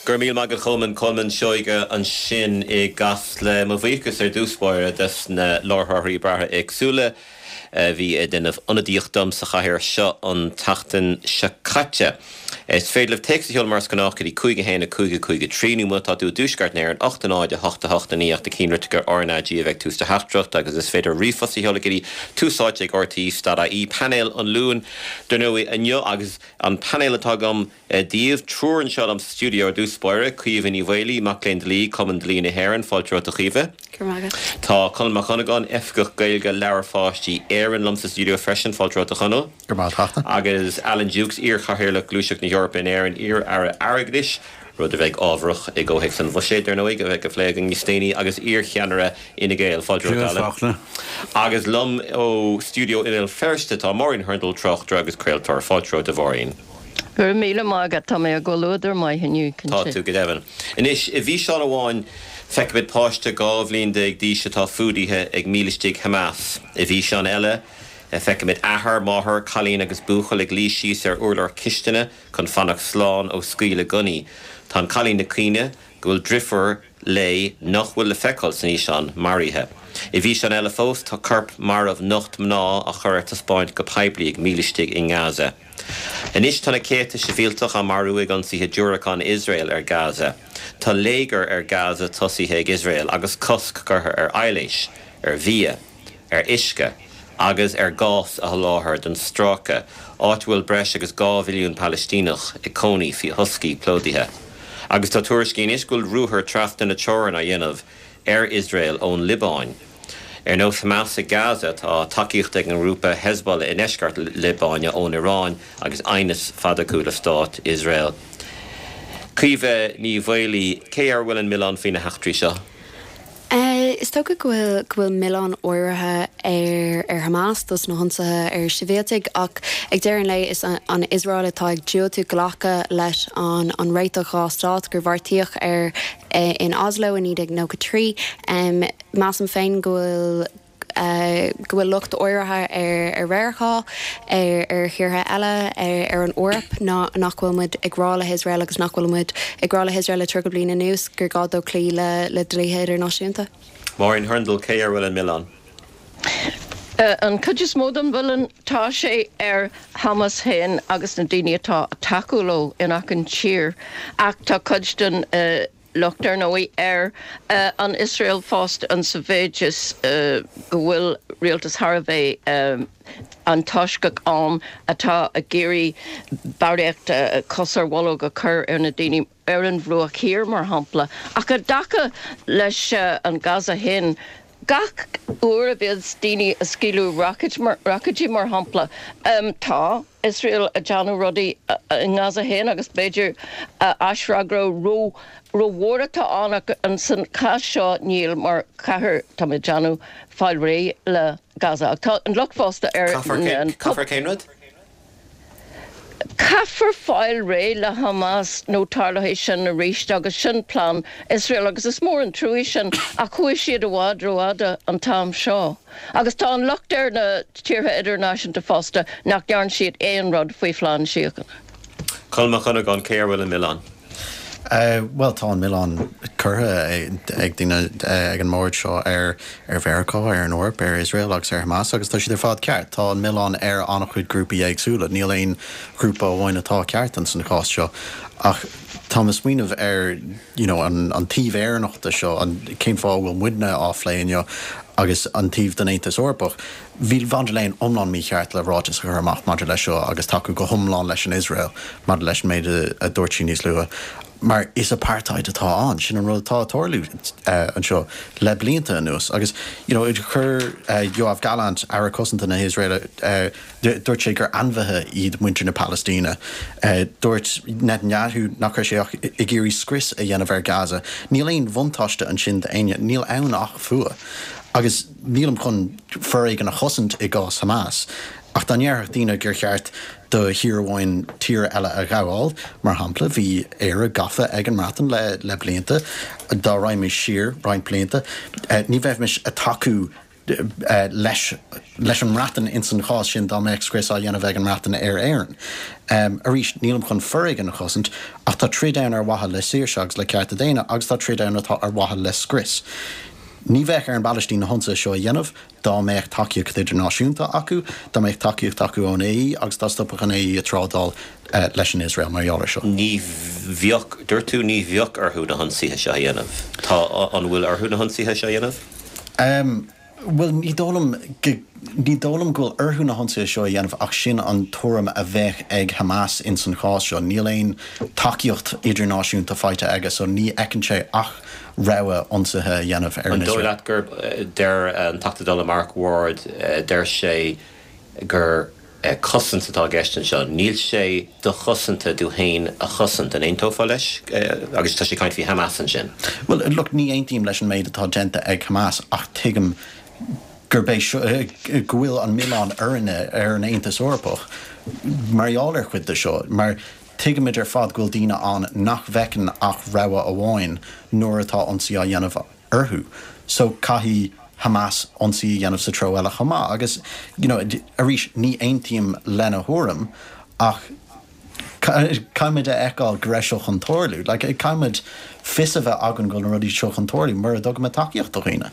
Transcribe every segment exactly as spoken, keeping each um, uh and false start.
Gur míle maith agat Cholman Colman Seoige ansin i gCasla mo bhuíochas ar dtús báire des na láithreoirí breátha éagsúla bhí ag déanamh ionadaíocht dom sa chathaoir seo an tseachtain seo caite. Is féidir libh téacs a sheoladh mar is gnách go dtí cúig a haon a cúig a cúig a trí nó má tá tú i dtuaisceart na hÉireann ocht a náid a hocht a hocht a naoi ach na cinnrithe RnaG a bheidh tús do theachtaireacht agus is féidir ríomhphost a sheoladh go dtí Tús Áite ag RTÉ dot ie painéal an Luain dar ndóigh inniu agus an painéal atá agam daoibh triúr anseo liom sa stiúideo ar dtús báire Caoimhe Ní Mhaolaí, mac léinn dlí, Cumann Dlí na hÉireann, fáilte romhat a Chaoimhe. Tá Conall Mac Dhonnagáin, Oifigeach Gaeilge Leabhair Pháistí Éireann liom sa stiúideo freisin, fáilte romhat a Chonaill. Go raibh maith agat. Agus Alan Dukes, iar-chathaoirleach Gluaiseacht na hEorpa in Éirinn, iar-aire airgeadais, rud a bheidh ábharach i gcomhthéacs an bhuiséid ar ndóigh a bheidh á phlé againn níos déanaí agus iar-cheannaire Fhine Gael, fáilte romhat Alan. Agus liom ó stiúideo i mBéal Feirste tá Máirín Hurndall, tráchtaire agus craoltóir, fáilte romhat a Mháirín. Go raibh míle maith agat, tá mé i gcomhluadar maith inniu, Tá cinnte. tú go deimhin. Anois, i bhfíseán amháin, feicimid páiste dhá bhliain déag d'aois atá fuadaithe ag mílistigh Hamas. I bhfíseán eile, feicimid athair, máthair, cailín agus buachaill ag luí síos ar urlár cistine chun fanacht slán ó scaoileadh gunnaí. Tá an cailín ag caoineadh go bhfuil driofúr léi, nach bhfuil le feiceáil san fhíseán, maraithe. I bhfíseán eile fós, tá corp marbh nocht mná á chur ar taispeáint go poiblí ag mílistigh i nGaza. Anois tá na céadta sibhialtach á marú ag ionsaithe diúracán Iosrael ar Gaza. Tá léigear ar Gaza tosaithe ag Iosrael agus cosc curtha ar aibhléis, ar bhia, ar uisce agus ar ghás a sholáthar don stráice, áit a bhfuil breis agus dhá mhilliún Palaistíneach ag cónaí faoi thoscaí plódaithe. Agus tá tuairiscí anois go bhfuil ruathar trasna na teorann á dhéanamh ar Iosrael ón Liobáin. Ar nós Hamas i Gaza, tá tacaíocht ag an ngrúpa Hezbollah i ndeisceart na Liobáine ón Iaráin agus aighneas fada acu le stát Iosrael. Caoimhe Ní Mhaolaí, cé air a bhfuil an milleán faoi na heachtraí seo? Is dócha go bhfuil go bhfuil milleán áirithe ar ar Hamas dos na hionsaithe ar shibhialtaigh ach ag deireadh an lae is an Iosrael atá ag diúltú glacadh leis an an réiteach dhá stát gur beartaíodh air in Oslo i naoi déag nócha trí. Measaim féin go bhfuil go bhfuil locht áirithe ar ar Mheiriceá, ar ar thíortha eile, ar ar an Eoraip ná nach bhfuil muid ag rá le hIosrael agus nach bhfuil muid ag rá le hIosrael le tríocha bliain anuas gur gá dó cloí le le dlíthe idirnáisiúnta. Máirín Hurndall, cé air a bhfuil an milleán? An chuid is mó den mhilleán, tá sé ar Hamas féin agus na daoine atá ag tacú leo in achan tír ach tá cuid den locht ar ndóigh ar an Iosrael fosta an sa mhéid is go bhfuil rialtas thar a bheith antoisceach ann atá ag iarraidh barraíocht cos ar bholg a chur ar na daoine ar an Bhruach Thiar mar shampla. Ach i dtaca leis an Gaza féin, gach uair a bhíonns daoine ag scaoileadh roicéidí mar shampla, tá Iosrael ag déanamh rudaí i nGaza féin agus b'fhéidir aisfhreagra ró rómhór atá ann ach san chás seo níl mar caithfear tá mé ag déanamh fáil réidh le Gaza ach tá an locht fosta ar an Caithfear cén rud? Caithfear fáil réidh le Hamas nó tarlóidh sin arís agus sin plean Iosrael agus is mór an trua sin ach chuaigh siad i bhfad rófhada an t-am seo. Agus tá an locht ar na tíortha idirnáisiúnta fosta nach ndearna siad aon rud faoi phlean síochána. Colm Mac Dhonnagáin, cé air a bhfuil an milleán? Bhuel, tá an milleán curtha ag daoine ag an mbord seo ar ar Mheiriceá, ar an Eoraip, ar Iosrael agus ar Hamas agus tá siad ar fad ceart. Tá an milleán ar an-chuid grúpaí éagsúla. Níl aon ghrúpa amháin atá ceart in san chás seo. Ach táim ag smaoineamh ar you know, an, an taobh Éireannach de seo, an cén fáth a bhfuil muidne á phlé inniu agus an taobh den Aontas Eorpach. Bhí von der Leyen iomlán mícheart le ráiteas a chur amach maidir leis seo agus tacú go hiomlán leis an Iosrael maidir leis an méid a dúirt sí níos luaithe. Mar is apartheid atá ann, sin an rud atá ag tarlú anseo le blianta anuas. Agus you know, chuir Yoav Gallant, Aire Cosanta na hIosraeile, dúirt sé gur ainmhithe iad muintir na Palaistíne. Dúirt Netanyahu nach raibh sé ach ag iarraidh scrios a dhéanamh ar Gaza. Níl aon bhuntáiste ansin d'éinne, níl ann ach fuath. Agus nílim chun foréigean a chosaint i gcás Hamas, ach dá ndéarfadh daoine gur cheart do thír amháin tír eile a ghabháil, mar shampla, bhí Éire gafa ag an mBreatain le le blianta, dá raghaimís siar roinnt blianta, ní bheimis ag tacú leis leis an mBreatain ins an chás sin dá mbeadh scrios á dhéanamh ag an mBreatain ar Éirinn. Um, arís nílim chun foréigean a chosaint ach tá troid ann ar mhaithe le saoirse agus le cearta daonna agus tá troid ann atá ar mhaithe le scrios. Ní bheadh ar an bPalaistín na hionsaithe seo a dhéanamh dá mbeadh tacaíocht idirnáisiúnta acu, dá mbeadh tacaíocht acu ón AE agus dá stopfadh an AE ag trádáil uh, leis an Iosrael mar gheall air seo. Ní bheadh dúirt tú ní bheadh orthu na hionsaithe seo a dhéanamh. Tá an bhfuil orthu na hionsaithe seo a dhéanamh? Um, Well ní dóigh liom ní dóigh liom go bhfuil orthu na hionsaithe seo a dhéanamh ach sin an tuairim a bheadh ag Hamas in san chás seo. Níl aon tacaíocht idirnáisiúnta faighte aige, so ní fheiceann sé ach rogha ionsaithe a dhéanamh ar an dóigh leat gur deir an Teachta Dála Mark Ward deir sé gur cosaint atá i gceist anseo. Níl sé dochosanta tú féin a chosaint an aontófá leis agus tá sé ag caint faoi Hamas ansin. Well look ní aontaím leis an méid atá déanta ag Hamas ach tuigim gurb é go bhfuil an milleán orainne ar an Aontas Eorpach mar gheall ar chuid de seo, mar tuigimid ar fad go bhfuil daoine ann nach bhfeiceann ach rogha amháin nuair atá ionsaí á dhéanamh orthu. So caithfidh Hamas ionsaí a dhéanamh sa treo eile chomh maith agus you know, arís ní aontaím lena thuairim ach caithfimid a fheiceáil go raibh seo chun tarlú. Like, caithfimid fios a bheith againn go bhfuil na rudaí seo chun tarlú mura dtugaimid tacaíocht do dhaoine.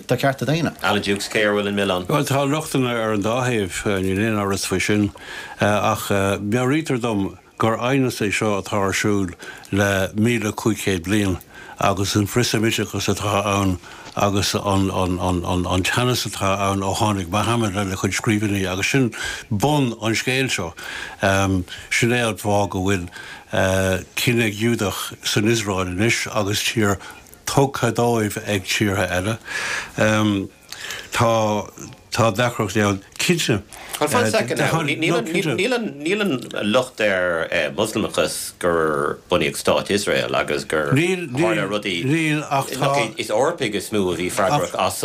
Do chearta daonna. Alan Dukes cé air a bhfuil an milleán. Well tá lochtanna ar an dá thaobh, níl aon amhras faoi sin, ach meabhraítear dom gur aighneas é seo atá ar siúl le míle cúig chéad bliain agus an frith-Seimíteachas atá ann agus an an teannas atá ann ó tháinig Muhammad lena chuid scríbhinní agus sin bun an scéil seo. Sin é an fáth go bhfuil cine Giúdach san Iosrael anois agus tír tugtha dóibh ag tíortha eile. Tá Tá deacrachtaí ann, cinnte. Well, fan second now. Níl an locht ar Mhoslamachas gur bunaíodh stát Iosrael agus gur tharla rudaí. Níl, ach tá. Is Eorpaigh is mó a bhí freagrach as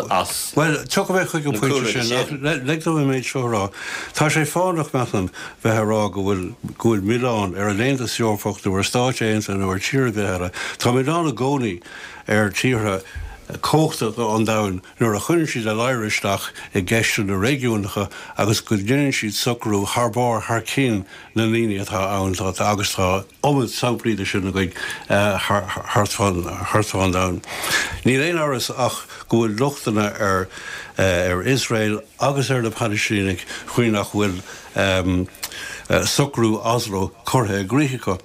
Bhuel, tiocfaidh mé chuig an phointe sin, ach lig dom an méid seo a rá. Tá sé fánach, measaim, bheith ag rá go bhfuil go bhfuil milleán ar an Aontas Eorpach nó ar Stáit Aontaithe nó ar tír ar bith eile. Tá milleán i gcónaí ar tíortha cumhachtacha an domhain nuair a chuireann siad a ladhar isteach i gceisteanna réigiúnacha agus go ndéanann siad socrú thar barr thar cionn na ndaoine atá ann agus tá iomad samplaí de sin againn thart fán domhan. Níl aon amhras ach go bhfuil lochtanna ar ar Iosrael agus ar na Palaistínigh faoi nach bhfuil socrú Oslo curtha i gcrích acu.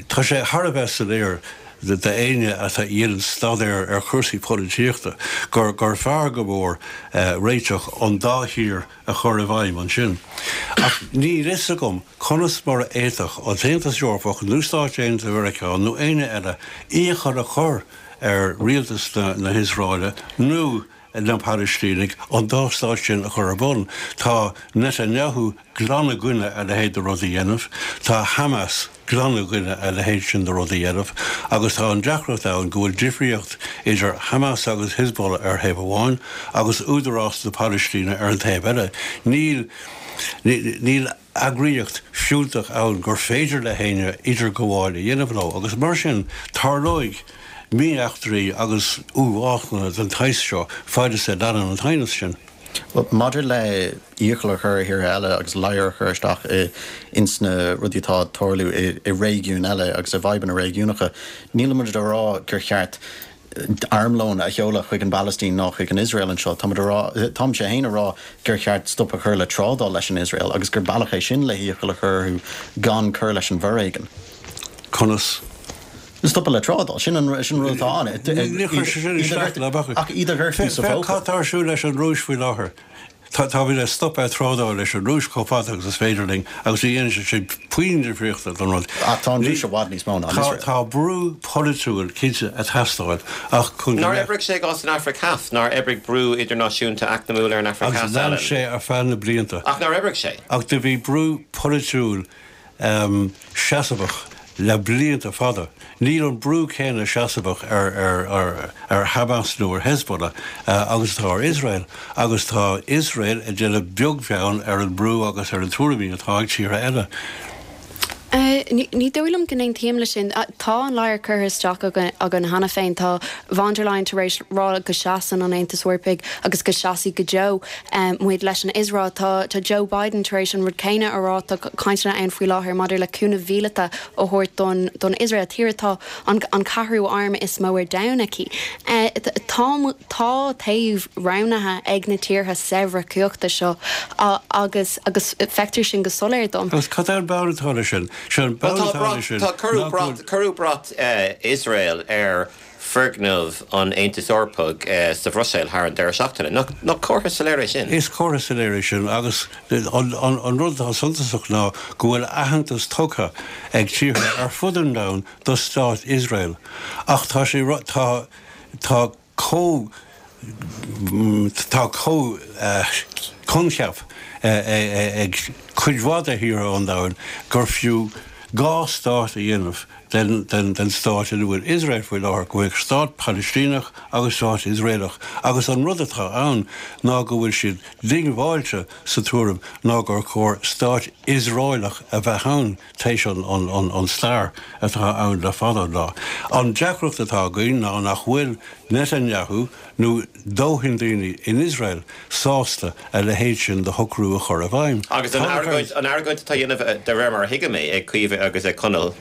Tá sé thar a bheith soiléir d'éinne atá a dhéanann staidéar ar chúrsaí polaitíochta gur gur fearr go mór réiteach an dá thír a chur i bhfeidhm ansin. Ach níl fhios agam conas mar a fhéadfadh an tAontas Eorpach nó Stáit Aontaithe Mheiriceá nó éinne eile iachall a chur ar rialtas na hIosraeile nó na Palaistínigh an dá stát sin a chur ar bun. Tá Netanyahu glan i gcoinne a leithéid de rud a dhéanamh, tá Hamas glan i gcoinne a leithéid sin de rud a dhéanamh agus tá an deacracht ann go bhfuil difríocht idir Hamas agus Hezbollah ar thaobh amháin agus Údarás na Palaistíne ar an taobh eile. Níl níl eagraíocht fiúntach ann gur féidir le héinne idirghabháil a dhéanamh leo agus mar sin tarlóidh mí-eachtraí agus uathbhásanna den tsaghas seo fad is a leanann an t-aighneas sin. Bhuel, maidir le iachall a chur ar thíortha eile agus ladhar a chur isteach ins na rudaí atá ag tarlú i réigiúin eile agus i bhfadhbanna réigiúnacha, nílimid ag rá gur cheart armlón a sheoladh chuig an bPalaistín ná chuig an Iosrael anseo. Táimid ag rá, táimse féin ag rá gur cheart stop a chur le trádáil leis an Iosrael agus gur bealach é sin le hiachall a chur orthu gan cur leis an bhforéigean. Conas? Stopadh le trádáil, sin an rud atá ann. Níor chuir sé sin isteach le bac. Ach iad a ghortú sa Féach phóca. cad tá ar siúl leis an Rúis faoi láthair. Táimid ag stopadh trádáil leis an Rúis chomh fada agus is féidir linn agus ní dhéanann sé sin puinn difríochta don rud. Ach tá an Rúis i bhfad níos mó ná an Iosrael. Tá brú polaitiúil cinnte ag teastáil ach chun go Nár mbeadh. oibrigh sé i gcás an Afraic Theas? Nár oibrigh brú idirnáisiúnta eacnamúil ar an Afraic Agus Theas, lean Alan? sé ar feadh na blianta. Ach nár oibrigh sé? Ach do bhí brú polaitiúil seasamhach le blianta fada. Níl an brú céanna seasamhach ar Hamas nó ar Hezbollah agus atá ar Iosrael, agus tá Iosrael ag déanamh beag beann ar an brú agus ar na tuairimí atá ag tíortha eile. Ní dóigh liom go n-aontaím leis sin. Tá an ladhar curtha isteach againn cheana féin. Tá von der Leyen tar éis rá go seasann an Aontas Eorpaigh agus go seasfaidh go deo muid leis an Iosrael. Tá tá Joe Biden tar éis an rud céanna a rá. Tá cainteanna ann faoi láthair maidir le cúnamh míleata a thabhairt don don Iosrael, tír atá an an ceathrú arm is mó ar domhan aici. Tá tá taobh roghnaithe ag na tíortha saibhre cumhachta seo agus agus feictear sin go soiléir dom. Agus cad é an bonn atá leis sin? Sé an bonn atá leis sin Tá cuireadh brat cuireadh brat Iosrael ar foirgneamh an Aontais Eorpaigh sa Bhruiséil thar an deireadh seachtaine. Nach nach comhartha soiléir é sin? Is comhartha soiléir é sin agus an an rud atá suntasach ná go bhfuil aitheantas tugtha ag tíortha ar fud an domhain do stát Iosrael. Ach tá sé tá tá comh tá comh coincheap ag cuid mhaith de thíortha an domhain gur fiú dhá stát a dhéanamh den den den stát ina bhfuil Iosrael faoi láthair, go bhfuil stát Palaistíneach agus stát Iosraelach. Agus an rud atá ann ná go bhfuil siad diongbháilte sa tuairim ná gur chóir stát Iosraelach a bheith ann théis an an an an stair atá ann le fada an lá. An deacracht atá againn ná nach bhfuil Netanyahu nó dóthain daoine in Iosrael sásta a leithéid sin de shocrú a chur i bhfeidhm. Agus an argóint an argóint atá á dhéanamh de réir mar a thuigim é ag Caoimhe agus ag Conall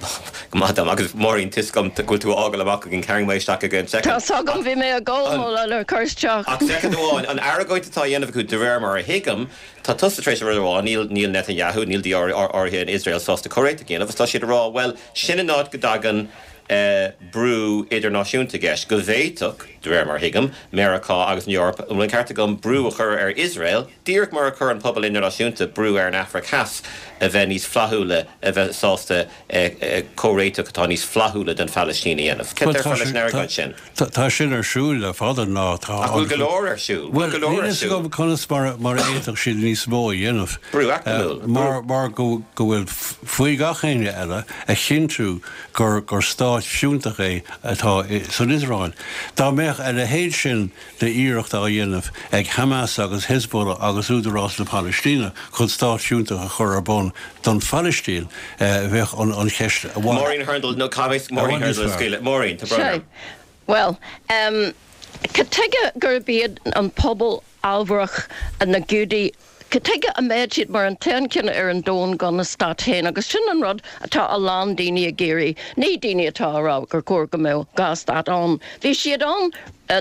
go maith dom agus Máirín tá a fhios agam go bhfuil tú á fhágáil amach againn tarraing mé isteach againn second. Tá a fhios agam bhí mé ag gabháil mo le cur isteach. Ach soicind amháin an argóint atá á dhéanamh acu de réir mar a thuigim tá tusa tar éis a rud a rá níl níl Netanyahu níl daoine áirithe in Iosrael sásta comhréiteach a dhéanamh agus tá siad ag rá bhuel sin an áit go dtagann brú idirnáisiúnta i gceist, go bhféadfadh, de réir mar a thuigim, Meiriceá agus an Eoraip, an bhfuil an ceart agam, brú a chur ar Iosrael, díreach mar a chuir an pobal idirnáisiúnta brú ar an Afraic Theas a bheith níos flaithiúla, a bheith sásta comhréiteach atá níos flaithiúla don Phalaistín a dhéanamh. Cad déarfá leis an argóint sin? Tá sin ar siúl le fada ná tá. Ach bhfuil go leor ar siúl? Bhfuil go leor ar siúl? Níl a fhios agam conas mar a fhéadfadh siad níos mó a dhéanamh. Brú eacnamúil. Mar go bhfuil faoi gach éinne eile a chinntiú gur gur stát fiúntach é atá san Iosrael. Dá mbeadh a leithéid sin d'iarracht á dhéanamh ag Hamas agus Hezbollah agus Údarás na Palaistíne chun stát fiúntach a chur ar bun don Phalaistín, bheadh an cheist i bhfad Maureen Hurndall, nó caithfidh Maureen Hurndall a scaoileadh. Maureen, tá brón orm. Bhuel, cad tuige gurb iad an pobal ábharach na Giúdaigh Cad tuige a mbeadh siad mar an t-aon chine ar an domhan gan a stát féin? Agus sin an rud atá a lán daoine ag iarraidh, ní daoine atá ag rá gur chóir go mbeadh dhá stát ann. Bhí siad ann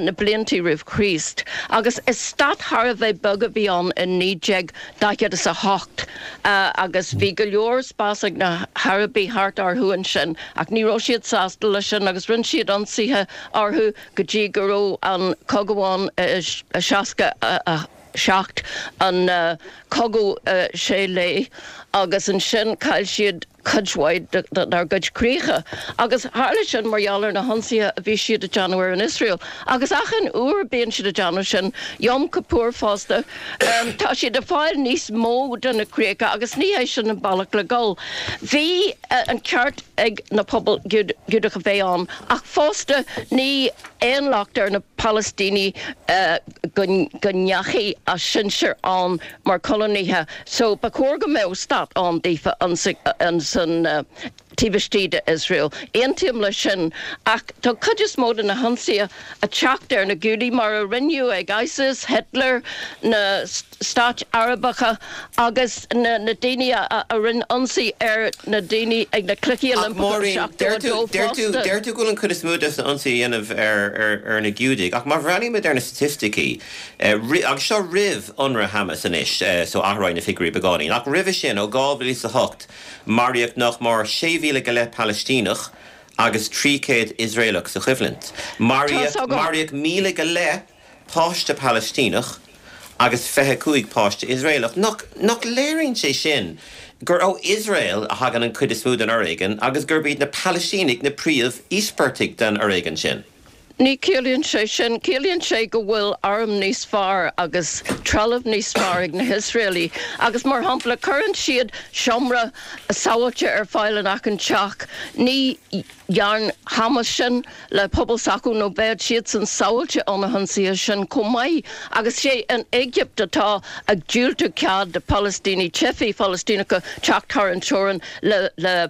na blianta roimh Chríost agus is stát thar a bheith beag a bhí ann in naoi déag daichead is a hocht agus bhí go leor spás ag na hArabaigh thart orthu ansin ach ní raibh siad sásta leis sin agus rinne siad ionsaithe orthu go dtí go raibh an cogadh ann i seasca a seacht, an Cogadh Sé Lae, agus ansin chaill siad cuid mhaith dár gcuid críocha. Agus tharla sin mar gheall ar na hionsaithe a bhí siad ag déanamh ar an Iosrael. Agus achan uair bíonn siad ag déanamh sin, Yom Kippur fosta, tá siad ag fáil níos mó de na críocha agus ní hé sin an bealach le dul. Bhí an ceart ag na pobail Giúdach a bheith ann ach fosta ní aon locht ar na Palaistínigh go ndeachaigh a sinsir ann mar choilínithe so ba chóir go mbeadh stát ann daofa ansan taobh istigh de Iosrael. Aontaím leis sin ach tá cuid is mó de na hionsaithe ag teacht ar na Giúdaigh mar a rinneadh ag ISIS, Hitler, na stáit Arabacha agus na daoine a rinne ionsaí ar na daoine ag na Cluichí Ach Oilimpeacha Máirín, seachtó a dó deir tú, fosta. deir tú go bhfuil an chuid is mó de na hionsaithe á dhéanamh ar, ar, ar na Giúdaigh, ach má bhreathnaímid ar na staitisticí, agus seo roimh ionradh Hamas anois, so athróidh na figiúirí beagáinín, ach roimhe sin, ó dhá mhíle is a hocht, maraíodh nach mór sé mhíle go leith Palaistíneach agus trí chéad Iosraelach sa choimhlint. Tá's agam. Maraíodh míle go leith páiste Palaistíneach agus fiche cúig páiste Iosraelach. Nach, nach léiríonn sé sin gur ó Iosrael a thagann an chuid is mó den fhoréigean agus gurb iad na Palaistínigh na príomh-íospartaigh den fhoréigean sin? Ní chiallaíonn sé sin. Ciallaíonn sé go bhfuil airm níos fearr agus trealamh níos fearr ag na hIosraelaigh agus, mar shampla, cuireann siad seomra sábháilte ar fáil in achan teach. Ní dhearn Hamas sin le pobal s'acu nó bheadh siadsan sábháilte ó na hionsaithe sin chomh maith. Agus sé an Éigipt atá ag diúltú cead do Phalaistínigh, teifigh Phalaistíneacha teacht thar an teorainn le le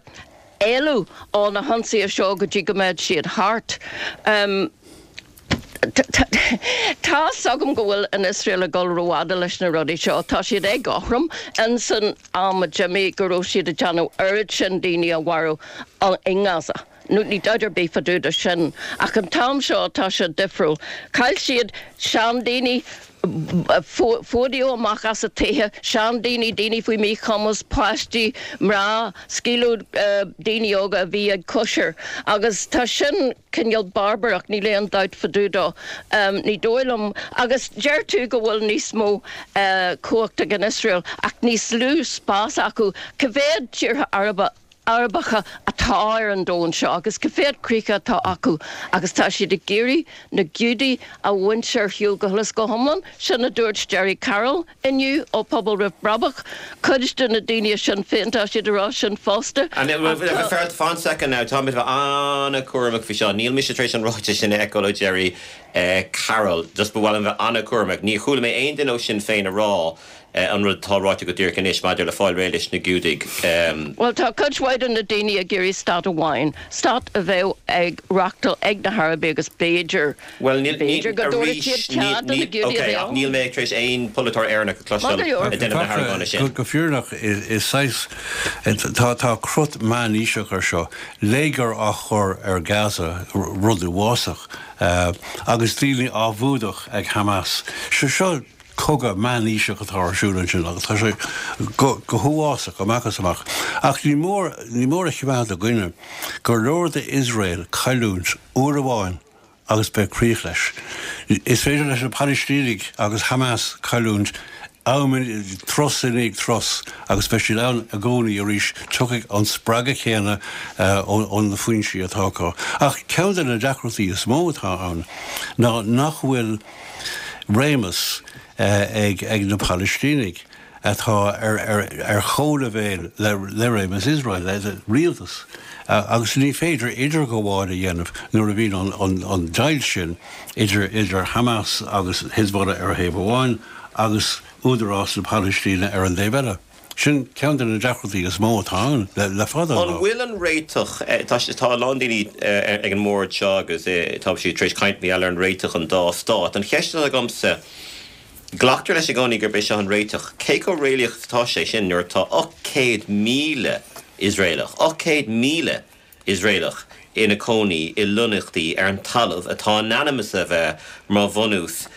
éalú ó na hionsaithe seo go dtí go mbeidh siad thart. Um, Tá 's agam go bhfuil an Iosrael ag dul rófhada leis na rudaí seo, tá siad éagothrom in san am a d'imigh go raibh siad ag déanamh oiread sin daoine a mharú i nGaza. Nó ní dabht ar bith fá dtaobh de sin. Ach an t-am seo tá sé difriúil. Chaill siad seandaoine, fuadaíodh amach as a dtithe, seandaoine, daoine faoi mhíchumas, páistí, mná, scaoileadh daoine óga a bhí ag cóisir. Agus tá sin cineál barbarach, níl aon dabht fá dtaobh dó. Ní dóigh liom, agus deir tú go bhfuil níos mó cumhacht ag an Iosrael ach níos lú spás acu. Cá mhéad tíortha Araba Arabacha atá ar an domhan seo agus cá mhéad críocha atá acu agus tá siad ag iarraidh na Giúdaigh a bhaint ar shiúl go huile is go hiomlán, sin a dúirt Gerry Carroll inniu ó Pobal Roimh Brabach. Cuid de na daoine i Sinn Féin tá siad ag rá sin fosta. Ach fan soicind now, tá mé an-chúramach faoi seo. Níl mise tar éis an ráiteas sin a fheiceáil ó Gerry Carroll. Just ba mhaith liom bheith an-chúramach. Níor chuala mé aon duine ó Sinn Féin a rá an rud atá ráite go díreach anois maidir le fáil réidh leis na Giúdaigh. Bhuel, tá cuid mhaith de na daoine ag iarraidh stát amháin, stát a bheadh ag reachtáil ag na hArabaigh agus b'fhéidir, b'fhéidir go dtabharfadh siad cead do na Giúdaigh a bheith ann. Níl mé tar éis aon pholaiteoir Éireannach a chloisteáil ag déanamh na hargóna sin. Go fírinneach, is saghas, tá tá crot meánaoiseach ar seo, léigear á chur ar Gaza, rud uafásach, agus daoine á bhfuadach ag Hamas. Seo cogadh meánaoiseach atá ar siúl ansin agus tá sé go huafásach amach is amach. Ach ní mór, ní mór a choimeád i gcuimhne gur leor d'Iosrael cailliúint uair amháin agus beidh críoch leis. Is féidir leis na Palaistínigh agus Hamas cailliúint am, turas i ndiaidh turas agus beidh siad ann i gcónaí arís. Tiocfaidh an spreagadh céanna ó na foinsí atá acu. Ach ceann de na deacrachtaí is mó atá ann ná nach bhfuil réimeas ag na Palaistínigh atá ar chomhleibhéal le réimeas Iosrael, le rialtas, agus ní féidir idirghabháil a dhéanamh nuair a bhíonn an deighilt sin idir Hamas agus Hezbollah ar thaobh amháin agus Údarás na Palaistíne ar an dtaobh eile. Sin ceann de na deacrachtaí is mó atá ann le fada an An lá. bhfuil an réiteach, tá a lán daoine ag an mbord seo agus tá siad tar éis caint mar gheall ar an réiteach an dá stát. An cheist atá agamsa, glactar leis i gcónaí gurb é seo an réiteach, cé chomh réalaíoch is atá sé sin nuair atá ocht gcéad míle Iosraelach, ocht gcéad míle Iosraelach ina cónaí i lonnaíochtaí ar an talamh atá in ainm is a bheith mar bhunús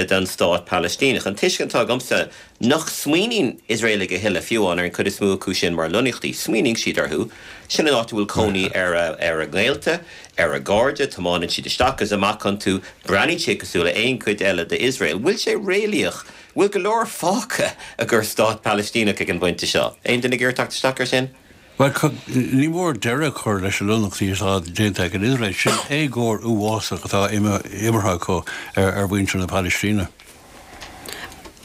don stát Palaistíneach. An tuiscint atá agamsa nach smaoiníonn Iosraelaigh a thuilleadh fiú amháin ar an chuid is mó acu sin mar lonnaíochtaí. Smaoiníonn siad orthu, sin an áit a bhfuil cónaí ar ar a ngaolta, ar a gcairde, tiomáineann siad isteach is amach iontu, breathnaíonn siad cosúil le aon chuid eile d'Iosrael. Bhfuil sé réalaíoch? Bhfuil go leor fágtha i gcomhair stát Palaistíneach ag an bpointe seo? Aon duine ag iarraidh teacht isteach air sin? Bhuel, ní mór deireadh a chur leis na lonnaíochtaí atá déanta ag an Iosrael. Sin éagóir uafásach atá imeartha acu ar mhuintir na Palaistíne.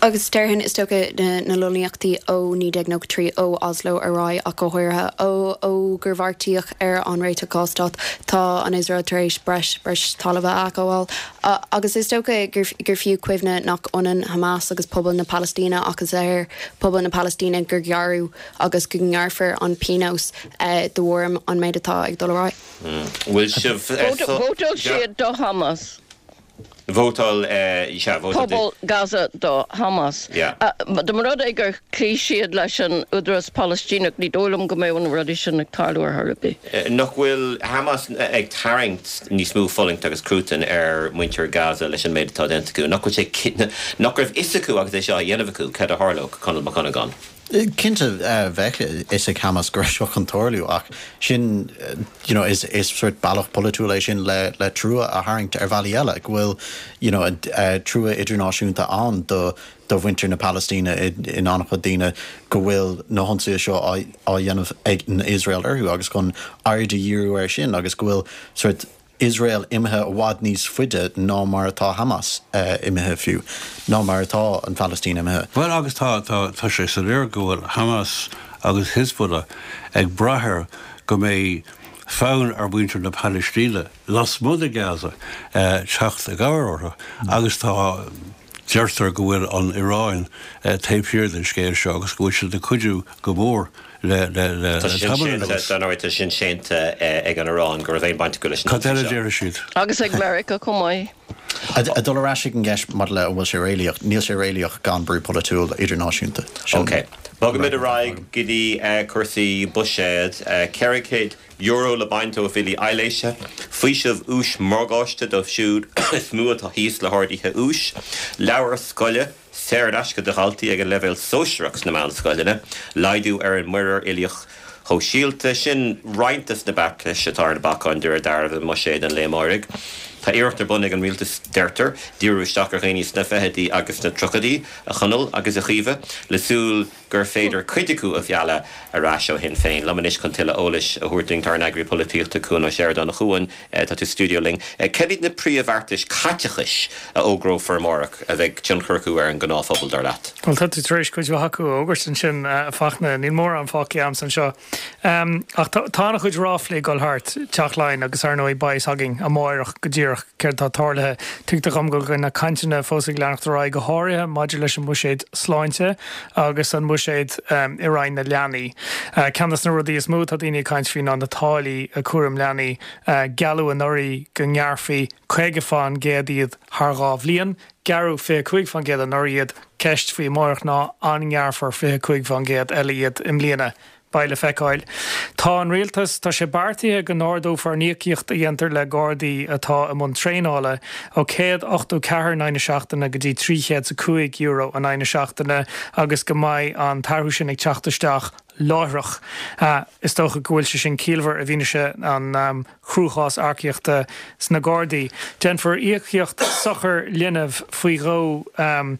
Agus déarfainn, is dócha, na lonnaíochtaí ó naoi déag nócha trí, ó Oslo ar aghaidh ach go háirithe ó ó gur bheartaíodh ar an réiteach dhá stát, tá an Iosrael tar éis breis breis talaimh a ghabháil. Agus is dócha gur gur fiú cuimhne nach ionann Hamas agus pobal na Palaistíne ach is ar pobal na Palaistíne gur gearradh agus go ngearrfar an pionós de bharr an méid atá ag dul ar aghaidh. Bhfuil sibh Vótáil siad do Hamas. Vótáil, sea, vótáil. Pobal Gaza do Hamas. Dá mba rud é gur chloígh siad leis an Údarás Palaistíneach, ní dóigh liom go mbeadh na rudaí sin ag tarlú ar chor ar bith. Nach bhfuil Hamas ag tarraingt níos mó fulaingt agus cruatain ar mhuintir Gaza leis an méid atá déanta acu? Nach bhfuil sé, nach raibh fhios acu agus é seo á dhéanamh acu cad a tharlódh, Conall Mac Dhonnagáin? Cinnte, bheadh a fhios ag Hamas go raibh seo chun tarlú ach sin, you know, is is sort bealach polaitiúil é sin le le trua a tharraingt ar bhealaí eile, go bhfuil, you know, trua idirnáisiúnta ann do do mhuintir na Palaistíne in an-chuid daoine go bhfuil na hionsaithe seo á á dhéanamh ag Iosrael orthu agus chun aird a dhíriú air sin agus go bhfuil sort Iosrael imithe i bhfad níos faide ná mar atá Hamas imithe fiú, ná mar atá an Phalaistín imithe. Bhuel agus tá, tá, tá sé soiléir go bhfuil Hamas agus Hezbollah ag brath air go mbeidh fonn ar mhuintir na Palaistíne lasmuigh de Gaza teacht i gcabhair orthu agus tá, deirtear go bhfuil an Iaráin taobh thiar den scéal seo agus go bhfuil siad ag cuidiú go mór le le Tá sin tamall séanta anuas. dar ndóigh tá sin séanta ag an Iaráin go raibh aon baint acu leis an Cad eile ionsaí seo. déarfaidh siad? Agus ag Meiriceá chomh maith. A dul ar ais ag an gceist maidir le an bhfuil sé réalaíoch, níl sé réalaíoch gan brú polaitiúil idirnáisiúnta. Sin- Ok. Bogaimid ar aghaidh go dtí eh, cúrsaí buiséid ceithre chéad euro le baint ó bhillí aibhléise, faoiseamh úis morgáiste dóibh siúd is mó atá thíos le harduithe úis, leabhair scoile, saor in aisce do dhaltaí ag an leibhéal sóisearach sna meánscoileanna, laghdú ar an muirear uilíoch shóisialta sin roinnt de na beartais atá ar na bacáin de réir dealraimh i mbuiséad an lae amáirigh. Tá iarracht ar bun ag an rialtas deirtear, díriú isteach ar dhaoine sna fichidí agus sna tríochaidí a Chonaill agus a Chaoimhe, le súil gur féidir cuid acu a mhealladh ar ais ó Shinn Féin. Liom anois chun tuilleadh eolais a thabhairt dúinn tá ár n-eagraí polaitíochta Cuan Ó Seireadáin a Chuain tá tú stiúideo linn. Cad iad na príomhbheartais caiteachais a fhógrófar amárach a bheidh tionchar acu ar an ngnáthphobal dar leat. Well tá tú tar éis cuid mhaith acu a fhógairt ansin a Fachtna níl mórán fágtha agam anseo. Um, ach tá an-chuid ráflaí ag dul thart Teach Laighean agus ar ndóigh beidh a fhios againn amárach go díreach céard tá tarlaithe. Tuigtear dom go bhfuil na cainteanna fós ag leanacht ar aghaidh go háirithe maidir leis an mbuiséad sláinte agus an buiséad um, i Roinn na leanaí. Uh, Ceann de na rudaí is mó tá daoine ag caint faoi ná na táillí a cúram leanaí uh, gealladh anuraidh go ngearrfaí caoga faoin gcéad iad thar dhá bhliain, Gearradh fiche cúig faoin gcéad anuraidh iad ceist faoi amárach ná an ngearrfar fiche cúig faoin gcéad eile iad i mbliana. Beidh le feiceáil. Tá an rialtas tá sé beartaithe go n-ardófar an íocaíocht a dhéantar le Gardaí atá i mbun traenála ó céad ochtó ceathair in aghaidh na seachtaine go dtí trí chéad is a cúig euro in aghaidh na seachtaine agus go mbeidh an t-athrú sin ag teacht isteach láithreach. Uh, is dócha go bhfuil sé sin ciallmhar i bhfianaise an um, chruachás earcaíochta sna Gardaí. Déanfar íocaíocht sochar linbh faoi dhó um,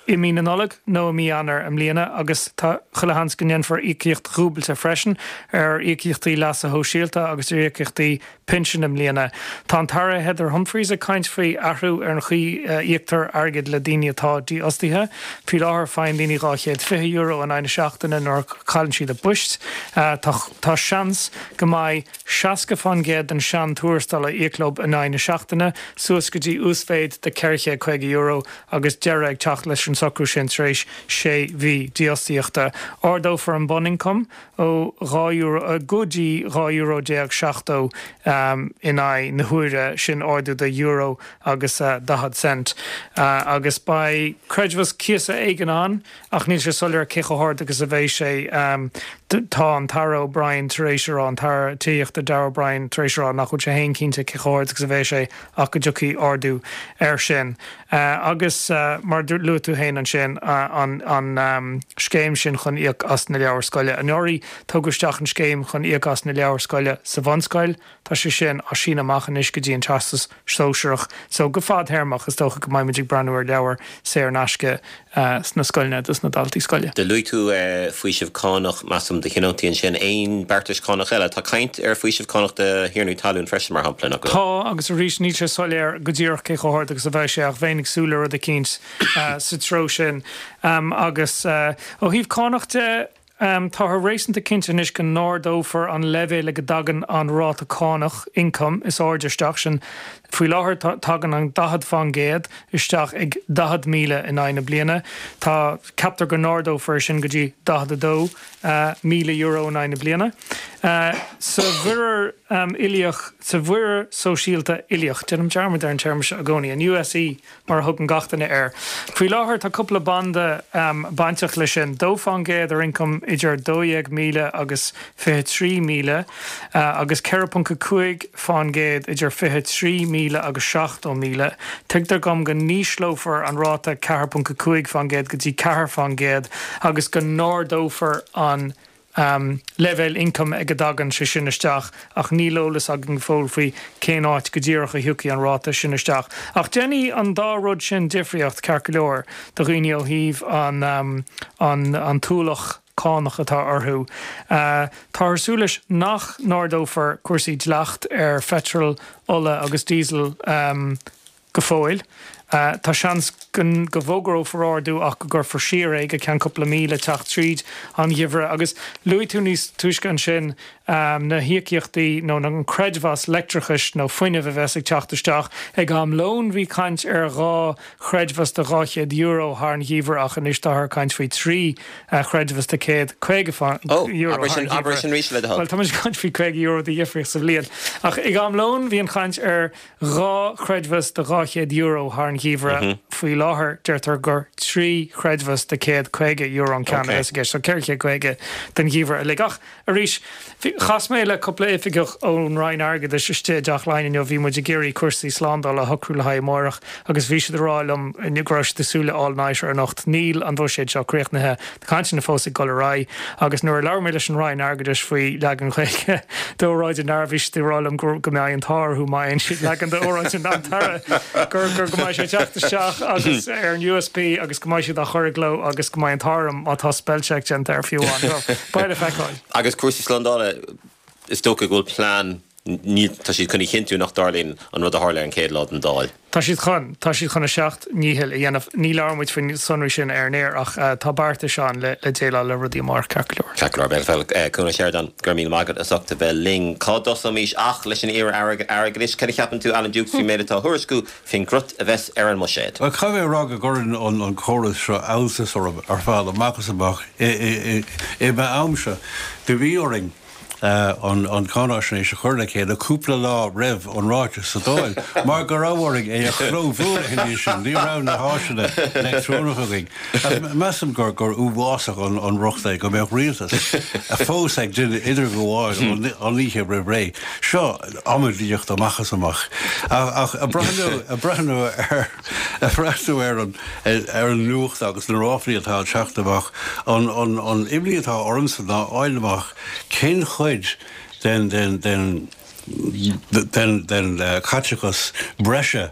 i mí na Nollag nó i mí Eanáir i mbliana agus tá chuile sheans go ndéanfar íocaíocht dhúbailte freisin ar íocaíochtaí leasa shóisialta agus ar íocaíochtaí pinsin i mbliana. Tá an tAire Heather Humphreys ag caint faoi athrú ar an chaoi uh, íoctar airgead le daoine atá dífhostaithe. Faoi láthair faigheann daoine dhá chéad fiche euro in aghaidh na seachtaine nuair a chailleann siad a bpoist. Uh, tá, tá seans go mbeidh seasca faoin gcéad den seantuarastal a íoc leo in aghaidh na seachtaine, suas go dtí uasmhéid de ceithre chéad caoga euro agus deireadh ag teacht leis an socrú sin tar éis sé mhí dífhostaíochta. Ardófar an bunioncam ó dhá euro go dtí dhá euro déag seachtó um, in aghaidh na huaire sin ardú de euro agus uh, daichead cent. Uh, agus beidh creidmheas cíosa éigin ann ach níl sé soiléir cé chomh hard agus a bheidh sé um, tá an tAire O'Brien tar éis a rá an tAire Tithíochta Darragh O'Brien tar éis a rá nach bhfuil sé féin cinnte cé chomh hard agus a bheidh sé ach go dtiocfaidh ardú air sin. Uh, agus uh, mar luaigh tú féin ansin uh, an, an um, scéim sin chun íoc as na leabhair scoile. Anuraidh tugadh isteach an scéim chun íoc as na leabhair scoile sa bhunscoil, Tá sé sin á síneadh amach anois go dtí an teastas sóisearach, so go fadtéarmach is dócha go mbeimid ag breathnú ar leabhair saor in aisce uh, sna scoileanna dos na daltaí scoile. Do luaigh tú uh, faoiseamh cánach measaim do thionóntaí ansin aon beartais cánach eile, Tá caint ar faoiseamh cánach do thiarnaí talún freisin mar shampla nach Tá agus arís níl sé soiléir go díreach cé chomh hard agus a bheidh sé ach bheinn ag súil le rud eicínt uh, sa treo sin um, agus uh, ó thaobh cánach de Um, Táthar réasúnta cinnte anois go n-ardófar an leibhéal go dtagann an ráta cánach ioncaim is airde isteach sin faoi láthair tagann an daichead faoin gcéad isteach ag daichead míle in aghaidh na bliana. Tá ceaptar go n-ardófar sin go dtí daichead a dó uh, míle euro in aghaidh na bliana. Uh, sa mhuirear um, uilíoch sa mhuirear sóisialta uilíoch, déanaim dearmad ar an téarma seo i gcónaí, an USE mar a thugann gach duine air. Faoi láthair tá cúpla banda um, bainteach leis sin dó faoin gcéad ar ioncam idir dó dhéag míle agus fiche trí míle uh, agus ceithre ponc a cúig faoin gcéad idir fiche trí míle agus seachtó míle. Tuigtear dom go n-ísleofar an ráta ceathair ponc a cúig faoin gcéad go dtí ceathair faoin gcéad agus go n-ardófar an um, leibhéal ioncaim ag a dtagann sé sin isteach ach níl eolas againn fós faoi cén áit go díreach a thiocfaidh an ráta sin isteach. Ach déanfaidh an dá rud sin difríocht ceart go leor do dhaoine ó thaobh an, um, an, an t-ualach cánach atá orthu. Uh, Tá súil leis nach n-ardófar cúrsaí dleacht ar pheitreal, ola agus diesel um, go fóill. Tá seans go bhfógrófar ardú ach go gcuirfear siar é go ceann cúpla mí le teacht tríd an gheimhreadh. Agus luaigh tú níos túisce ansin na híocaíochtaí nó an creidmheas leictreachais nó fuinnimh a bheas ag teacht isteach. Ag am lóin bhí caint ar dhá chreidmheas de dhá chéad euro thar an gheimhreadh ach anois táthar ag caint faoi trí chreidmheas de céad caoga euro thar an gheimhreadh. Bhuel, tá muid ag caint faoi caoga euro de dhifríocht sa bhliain. Ach ag am lóin bhí an chaint ar dhá chreidmheas de dhá chéad euro thar an gheimhreadh. Faoi láthair deirtear gur trí chreidmheas de céad caoga euro an ceann a bheas i gceist, so ceithre chéad caoga don gheimhreadh uilig. Ach arís, chas mé le cúpla oifigeach ón Roinn Airgeadais istigh i dTeach Laighean inniu, bhí muid ag iarraidh cúrsaí slándála a shocrú le haghaidh amárach agus bhí siad ag rá liom inniu go raibh siad ag súil le all-nighter anocht. Níl an buiséad seo críochnaithe, tá cainteanna fós ag dul ar aghaidh agus nuair a labhair mé leis an Roinn Airgeadais faoi leagan Gaeilge d'óráid an Aire, bhí siad ag rá liom go mbeidh an t-ádh orthu má fhaigheann siad leagan d'óráid an tAire gur go mbeidh sé ag teacht isteach agus ar an U S B agus go mbeidh siad á chur i gcló agus go mbeidh an t-ádh orm má tá spellcheck déanta air fiú amháin. So, beidh le feiceáil. Agus cúrsaí slándála, is dócha go bhfuil plean, ní, tá siad chun a chinntiú nach dtarlaíonn an rud a tharla ar an chéad lá den Dáil. Tá siad chun, tá siad chun a seacht ndícheall a dhéanamh. Ní labhróidh muid faoin sonraí sin ar an aer ach tá beartais ann le le déileáil le rudaí amárach ceart go leor. Ceart go leor, beidh le feiceáil. Cuan Ó Seireadáin, go raibh míle maith agat as ucht a bheith linn. Cá dtosóimis ach leis an iar-Aire Airgeadais? Cad a cheapann tú, Alan Dukes, faoin méid atá á thuairisciú faoin gcrut a bheas ar an mbuiséad? Bhuel, caithfidh mé a rá go gcuireann an córas seo alltas orm ar fad, amach is amach. I m'amsa, do bhí orainn an cháinaisnéis a chur le chéile cúpla lá roimh an ráiteas sa Dáil, mar go raibh orainn é a chlóbhualadh ina dhiaidh sin. Ní raibh na háiseanna leictreonacha againn. Measaim gur gur uafásach an rud é go mbeadh rialtas fós ag déanamh idirghabháil an oíche roimh ré. Seo amaidíocht amach is amach. Ach ag breathnú ag breathnú ar ag breathnú ar an ar an nuacht agus na ráflaí atá ag teacht amach, an an an imní atá ormsa ná fháil amach cén chuid den den den den den caiteachas breise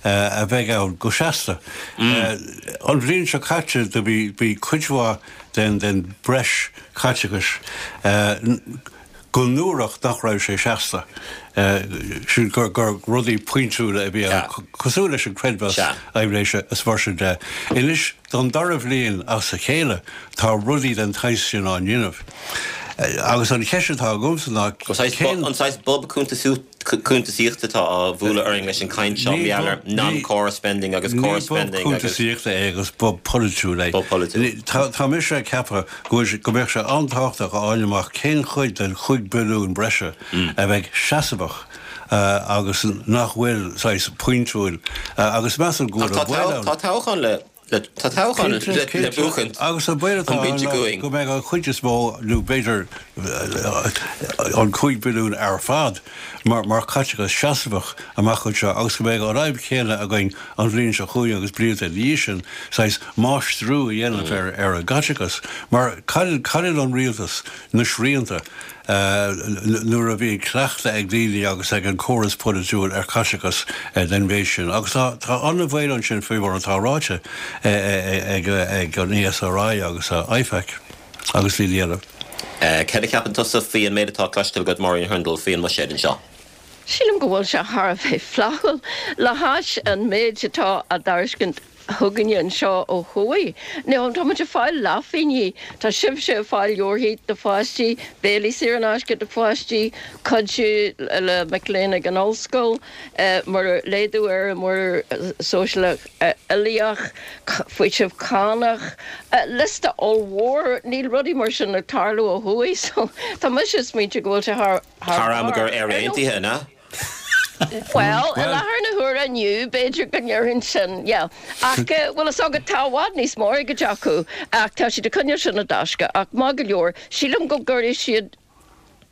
a bheidh ann go seasta. An bhliain seo caite do bhí bhí cuid mhaith den den breis caiteachais go ndúradh nach raibh sé seasta, sin gur gur rudaí pointiúla a bhí ann, cosúil leis an creidmheas aibhléise is mar sin de. Anois, don dara bhliain as a chéile, tá rudaí den tsaghas sin á ndéanamh. Agus an cheist atá agamsa ná cén. An saghas bob cuntasaíochta atá á bhualadh orainn leis an gcaint seo, mar gheall ar non-core spending agus core spending agus. Ní bob cuntasaíochta é agus bob polaitiúil é. Bob polaitiúil. Tá mise ag ceapadh go mbeadh sé an-tábhachtach a fháil amach cén chuid den chúig billiún breise a bheidh seasmhach agus nach bhfuil saghas pointiúil agus measaim go bhfuil an baol ann. Tá toghchán le Tá toghchán le buachaint Agus an baol atá ann ná go mbeidh an chuid is mó, nó b'fhéidir an cúig billiún ar fad, mar chaiteachas seasmhach amach anseo agus go mbeidh an fhadhb chéanna againn an bhliain seo chugainn agus blianta ina dhiaidh sin, saghas máistriú a dhéanamh ar an gcaiteachas. Mar cailleann an rialtas na srianta. nuair a bhíonn cleachtadh ag daoine agus ag an córas polaitiúil ar chaiteachas den mhéid sin. Agus tá an-bhaol ansin faoi mar atá ráite ag an E S R I agus I F A C agus daoine eile. Cad a cheapann tusa faoi an méid atá cloiste agat, Máirín Hurndall, faoi an mbuiséad anseo? Sílim go bhfuil sé thar a bheith flaithiúil le hais an méid atá á dtairiscint chugainne anseo ó thuaidh. Now, tá muid ag fáil leathphingin, tá sibhse ag fáil leabharthaí do pháistí, béilí saor in aisce do pháistí, cuidiú le mic léinn ag an ollscoil, muirear laghdú ar an muirear sóisialach uilíoch, faoiseamh cánach, liosta ollmhór, níl rudaí mar sin ag tarlú ó thuaidh, so tá mise ag smaointiú go bhfuil sé thar Thar am gur Éire Aontaithe, an ea? Bhuel, i láthair na huaire inniu, b'fhéidir go ndéarfainn sin, yeah. Ach, bhfuil fhios agat, tá i bhfad níos mó airgid acu, ach tá siad ag coinneáil sin i dtaisce. Ach maith go leor, sílim go gcuirfidh siad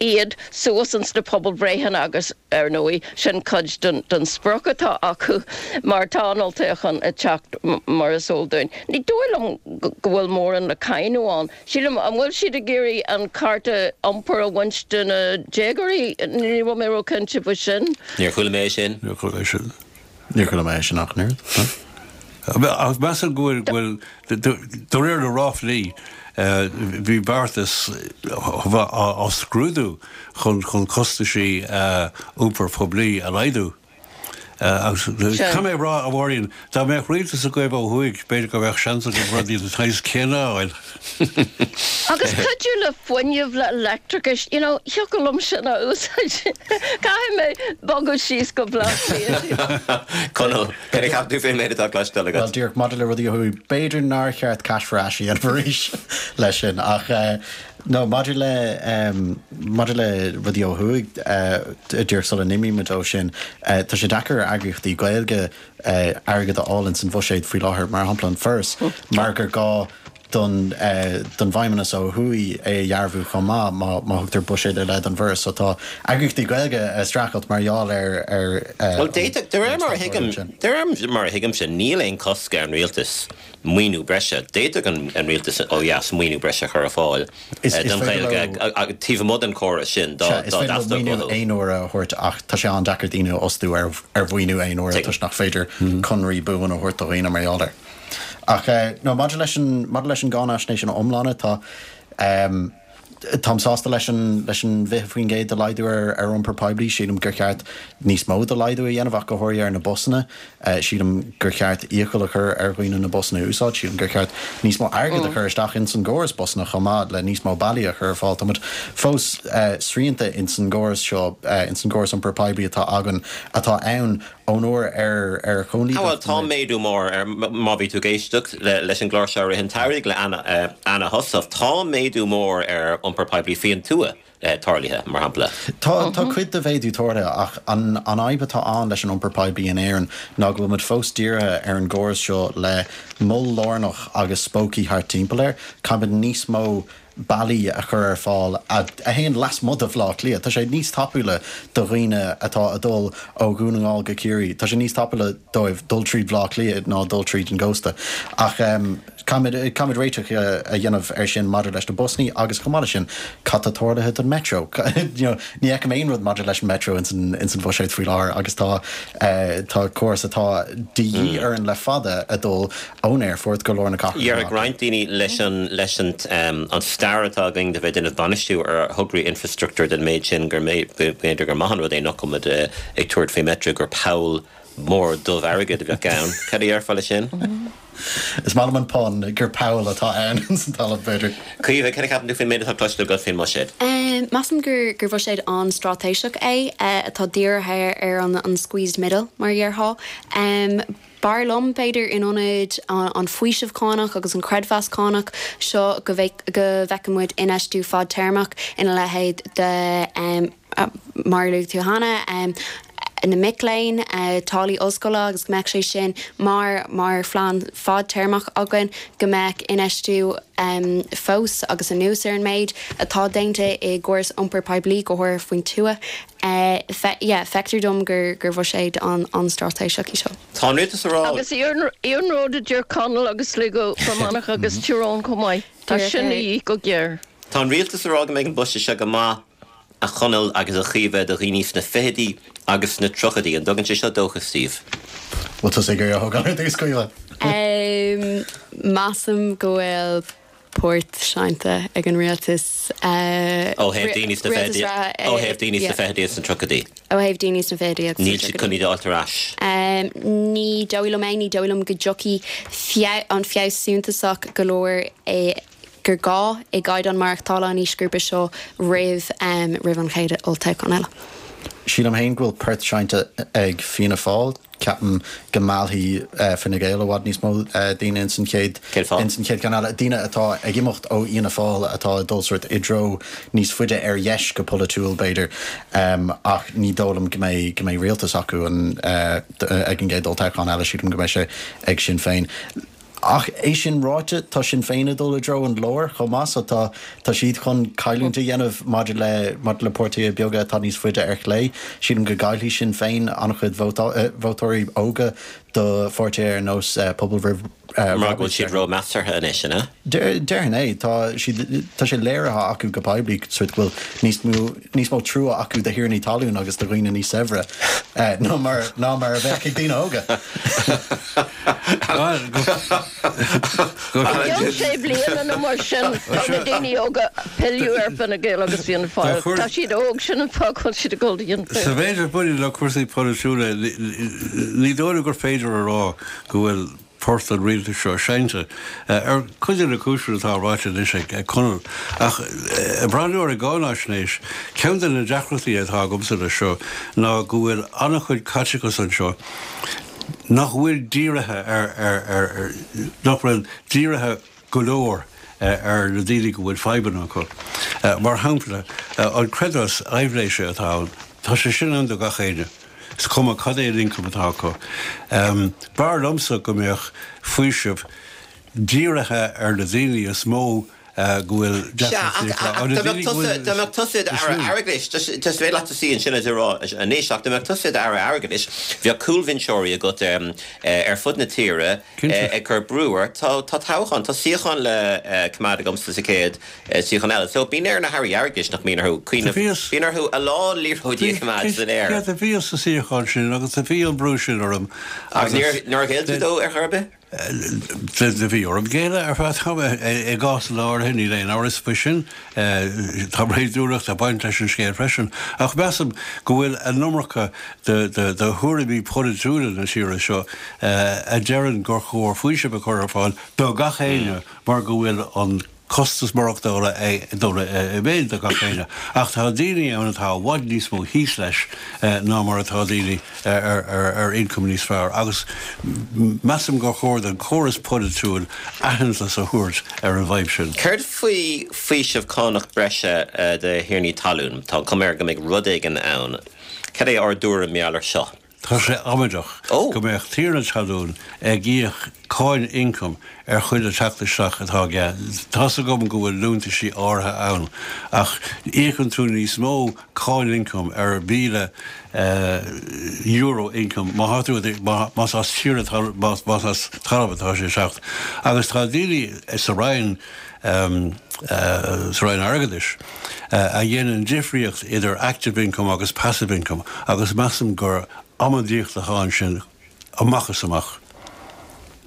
iad suas ins na pobalbhreitheanna agus, ar ndóigh, sin cuid den den sprioc atá acu mar tá an olltoghchán ag teacht mar is eol dúinn. Ní dóigh liom go bhfuil mórán le cáineadh ann. Sílim, an bhfuil siad ag iarraidh an cárta iompair a bhaint de na déagóirí? Ní raibh mé ró-chinnte faoi sin. Níor chuala mé é sin. Níor chuala mé sin. Níor chuala mé é sin ach an oiread. Ach measaim go bhfuil, de réir na ráflaí, bhí beartas á scrúdú chun chun costaisí iompar poiblí a laghdú. Agus caithfidh mé a rá, a Mháirín, dá mbeadh rialtas agaibh ó thuaidh, b'fhéidir go mbeadh seans agaibh rudaí den tsaghas céanna a fháil. Agus cuidiú le fuinneamh, le leictreachas, you know, thiocfadh liom sin a úsáid. Caithfidh mé bogadh síos go Baile Átha Cliath. Conall, cad a cheap tú faoin méid atá cloiste agat? Bhuel, díreach maidir le rudaí ó thuaidh, b'fhéidir nár cheart cash for ash a dhéanamh arís leis sin, ach No, maidir le, maidir le rudaí ó thuaidh, díreach sula n-imímid ó sin, tá sé deacair ar eagraíochtaí Gaeilge airgead a fháil ins an bhuiséad faoi láthair, mar shampla an Foras, mar gur gá don, don bhFeidhmeannas ó thuaidh é a dhearbhú chomh maith má, má thugtar buiséad ar leith don bhForas. So tá eagraíochtaí Gaeilge ag streachailt mar gheall ar, ar Bhuel, d'fhéadfadh, de réir mar a thuigim, de réir mar a thuigimse, níl aon chosc ar an rialtas maoiniú breise. D'fhéadfadh an rialtas ó dheas maoiniú breise a chur ar fáil don Ghaeilge taobh amuigh den chóras sin dá dteastódh uathu. Is féidir leo maoiniú aon uaire a thabhairt ach tá sé an-deacair daoine a fhostú ar mhaoiniú aon uaire toisc nach féidir conraí buan a thabhairt do dhaoine mar gheall air. Ach no, maidir leis an maidir leis an gcáinaisnéis ina iomláine, tá. Táim sásta leis an leis an bhfiche faoin gcéad de laghdú ar ar iompar poiblí. Sílim gur cheart níos mó de laghdú a dhéanamh ach go háirithe ar na busanna. Sílim gur cheart iachall a chur ar dhaoine na busanna a úsáid. Sílim gur cheart níos mó airgid a chur isteach ins an gcóras busanna chomh maith le níos mó bealaí a chur ar fáil. Táimid fós srianta ins an gcóras seo, ins an gcóras iompar poiblí atá againn, atá ann ón uair ar ar chóilíneacht Bhuel, tá méadú mór ar, má bhí tú ag éisteacht leis an gclár seo i rith an tsamhraidh le Anna Heussaff, tá méadú mór ar iompar poiblí faoin tuath tarlaithe, mar shampla. Tá, tá cuid de mhéadú tarlaithe ach an an fhadhb atá ann leis an iompar poiblí in Éirinn ná go bhfuil muid fós dírithe ar an gcóras seo le mol lárnach agus spócaí thart timpeall air. Caithfimid níos mó bealaí a chur ar fáil a théann lasmuigh de Bhaile Átha Cliath. Tá sé níos tapúla do dhaoine atá ag dul ó Dhún na nGall go Ciarraí, tá sé níos tapúla dóibh dul tríd Bhaile Átha Cliath ná dul tríd an gcósta. Ach caithfimid, caithfimid réiteach a dhéanamh air sin maidir leis na busannaí agus chomh maith leis sin, cad tá tarlaithe don Metro? You know, ní fheicim aon rud maidir leis an Metro ins an, ins an bhuiséad faoi láthair agus tá, tá córas atá de dhíth orainn le fada ag dul ón aerfort go lár na cathrach. Déarfadh roinnt daoine leis an leis an an stair atá againn de bheith ag déanamh bainistiú ar thograí infreastruchtúir den méid sin gur b'fhéidir gur maith an rud é nach bhfuil muid ag tabhairt faoi Metro gur poll mór dubh airgid a bheadh ann. Cad a dhéarfá leis sin? Is maith liom an pun gur poll atá ann ins an talamh, b'fhéidir. Caoimhe, cad a cheapann tú faoin méid atá cloiste agat faoin mbuiséad? Measaim gur gur bhuiséad an-straitéiseach é atá dírithe ar an an squeezed middle, mar a déarfá. B'fhearr liom, b'fhéidir, in ionad an faoiseamh cánach agus an creidmheas cánach seo go bhfeicfeadh muid infheistiú fadtéarmach ina leithéid de, mar a luaigh tú cheana, na mic léinn, táillí ollscoile agus go mbeadh sé sin mar mar phlean fadtéarmach againn, go mbeadh infheistiú fós agus anuas ar an méid atá déanta i gcóras iompair poiblí, go háirithe faoin tuath. Yeah, feictear dom gur gur bhuiséad an-straitéiseach í seo. Tá an rialtas ag rá. Agus iarnród a deir Conall agus Sligo, Fear Manach agus Tyrone chomh maith. Tá sin a dhíth go géar. Tá an rialtas ag rá go mbeidh an buiséad seo go maith a Chonaill agus a Chaoimhe do dhaoine sna fichidí agus sna tríochaidí. An dtugann sé seo dóchas daoibh? Bhfuil tusa ag iarraidh a thógáil ar dtús, Caoimhe? Measaim go bhfuil port seinnte ag an rialtas. Ó thaobh daoine sna fichidí, ó thaobh daoine sna fichidí agus sna tríochaidí. Ó thaobh daoine sna fichidí agus sna Níl siad chun iad a fháilt ar ais. Ní dóigh liom é, ní dóigh liom go dtiocfaidh an feabhas suntasach go leor gur gá i gcaighdeán maireachtála an aoisghrúpa seo roimh roimh an chéad olltoghchán eile. Sílim féin go bhfuil port seinnte ag Fianna Fáil. Ceapaim go meallfaidh Fine Gael i bhfad níos mó daoine ins an chéad ins an chéad cheann eile. Daoine atá ag imeacht ó Fhianna Fáil atá ag dul sórt i dtreo níos faide ar dheis go polaitiúil b'fhéidir. Ach ní dóigh liom go mbeidh go mbeidh rialtas acu ag an gcéad olltoghchán eile. Sílim go mbeidh sé ag Sinn Féin. Ach é sin ráite, tá Sinn Féin ag dul i dtreo an láir chomh maith so tá tá siad chun cailliúint a dhéanamh maidir le maidir le páirtithe beaga atá níos faide ar chlé. Sílim go gcaillfidh Sinn Féin an-chuid vótóirí óga do pháirtithe ar nós Pobal Roimh Mar go bhfuil siad ró-measartha anois, an ea? Déarfainn é. Tá siad tá sé léirithe acu go poiblí sórt go bhfuil níos mó níos mó trua acu do thiarnaí talún agus do dhaoine níos saibhre ná mar ná mar a bheadh ag daoine óga. Go I gceann sé bliana nó mar sin tá na daoine óga ag pilleadh ar Fine Gael agus Fianna Fáil. Tá siad óg, sin an fáth go bhfuil siad ag dul do Fhianna Sa Fáil. mhéid a bhaineann le cúrsaí polaitiúla, ní dóigh liom gur féidir a rá go bhfuil port an rialtais seo seinnte, ar chuid de na cúiseanna atá ráite anois ag Conall. Ach ag breathnú ar an gcáinaisnéis, ceann de na deacrachtaí atá agamsa leis seo ná go bhfuil an-chuid caiteachas anseo nach bhfuil dírithe ar, ar, ar, ar, nach bhfuil dírithe go leor ar na daoine go bhfuil fadhbanna acu. Mar shampla, an creidmheas aibhléise atá ann, tá sé sin ann do gach éinne, is cuma cad é an ioncam atá acu. B'fhearr liomsa go mbeadh faoiseamh dírithe ar na daoine is mó go bhfuil deacrachtaí acu, ar na daoine go bhfuil. Dá mbeadh tusa i d'Aire Airgeadais, is féidir leat suí ansin is a rá anois, ach dá mbeadh tusa i d'Aire Airgeadais, bheadh cúlbhinseoirí agat ar fud na tíre ag cur brú ort. Tá toghchán, tá suíochán le coimeád agamsa sa chéad suíochán eile. So bíonn ar na hAirí Airgeadais, nach mbíonn orthu cuimhneamh, bíonn orthu a lán liathróidí a choimeád san aer. Sea, do bhíos sa suíochán sin agus do bhí an brú sin orm agus. Agus níor ghéill tú dó ar chor ar bith? Do bhí orm géilleadh ar feadh tamaill i gcásanna áirithe, níl aon amhras faoi sin. Tá réadúlacht ag baint leis an scéal freisin. Ach measaim go bhfuil an iomarca de thuairimí polaitiúla na tíre seo a deireann gur chóir faoiseamh a chur ar fáil do gach éinne mar go bhfuil an costas maireachtála ag dul i méid do gach éinne. Ach tá daoine ann atá i bhfad níos mó thíos leis ná mar atá daoine ar ioncam níos fearr agus measaim gur chóir don chóras polaitiúil aitheantas a thabhairt ar an bhfadhb sin. Céard faoi faoiseamh cánach breise do thiarnaí talún? Tá an chuma air go mbeidh rud éigin ann. Cad é ár dtuairim mar gheall air seo? Tá sé amaideach go mbeadh tiarna talún ag íoc cáin ioncaim ar chuile theacht isteach atá aige. Tá's agam go bhfuil liúntaisí áirithe ann, ach íocann tú níos mó cáin ioncaim ar mhíle euro ioncaim má tá tú más as tiarna más as talamh atá sé ag teacht. Agus tá daoine sa Roinn sa Roinn Airgeadais a dhéanann difríocht idir active income agus passive income agus measaim gur amaidíocht atá ansin amach is amach.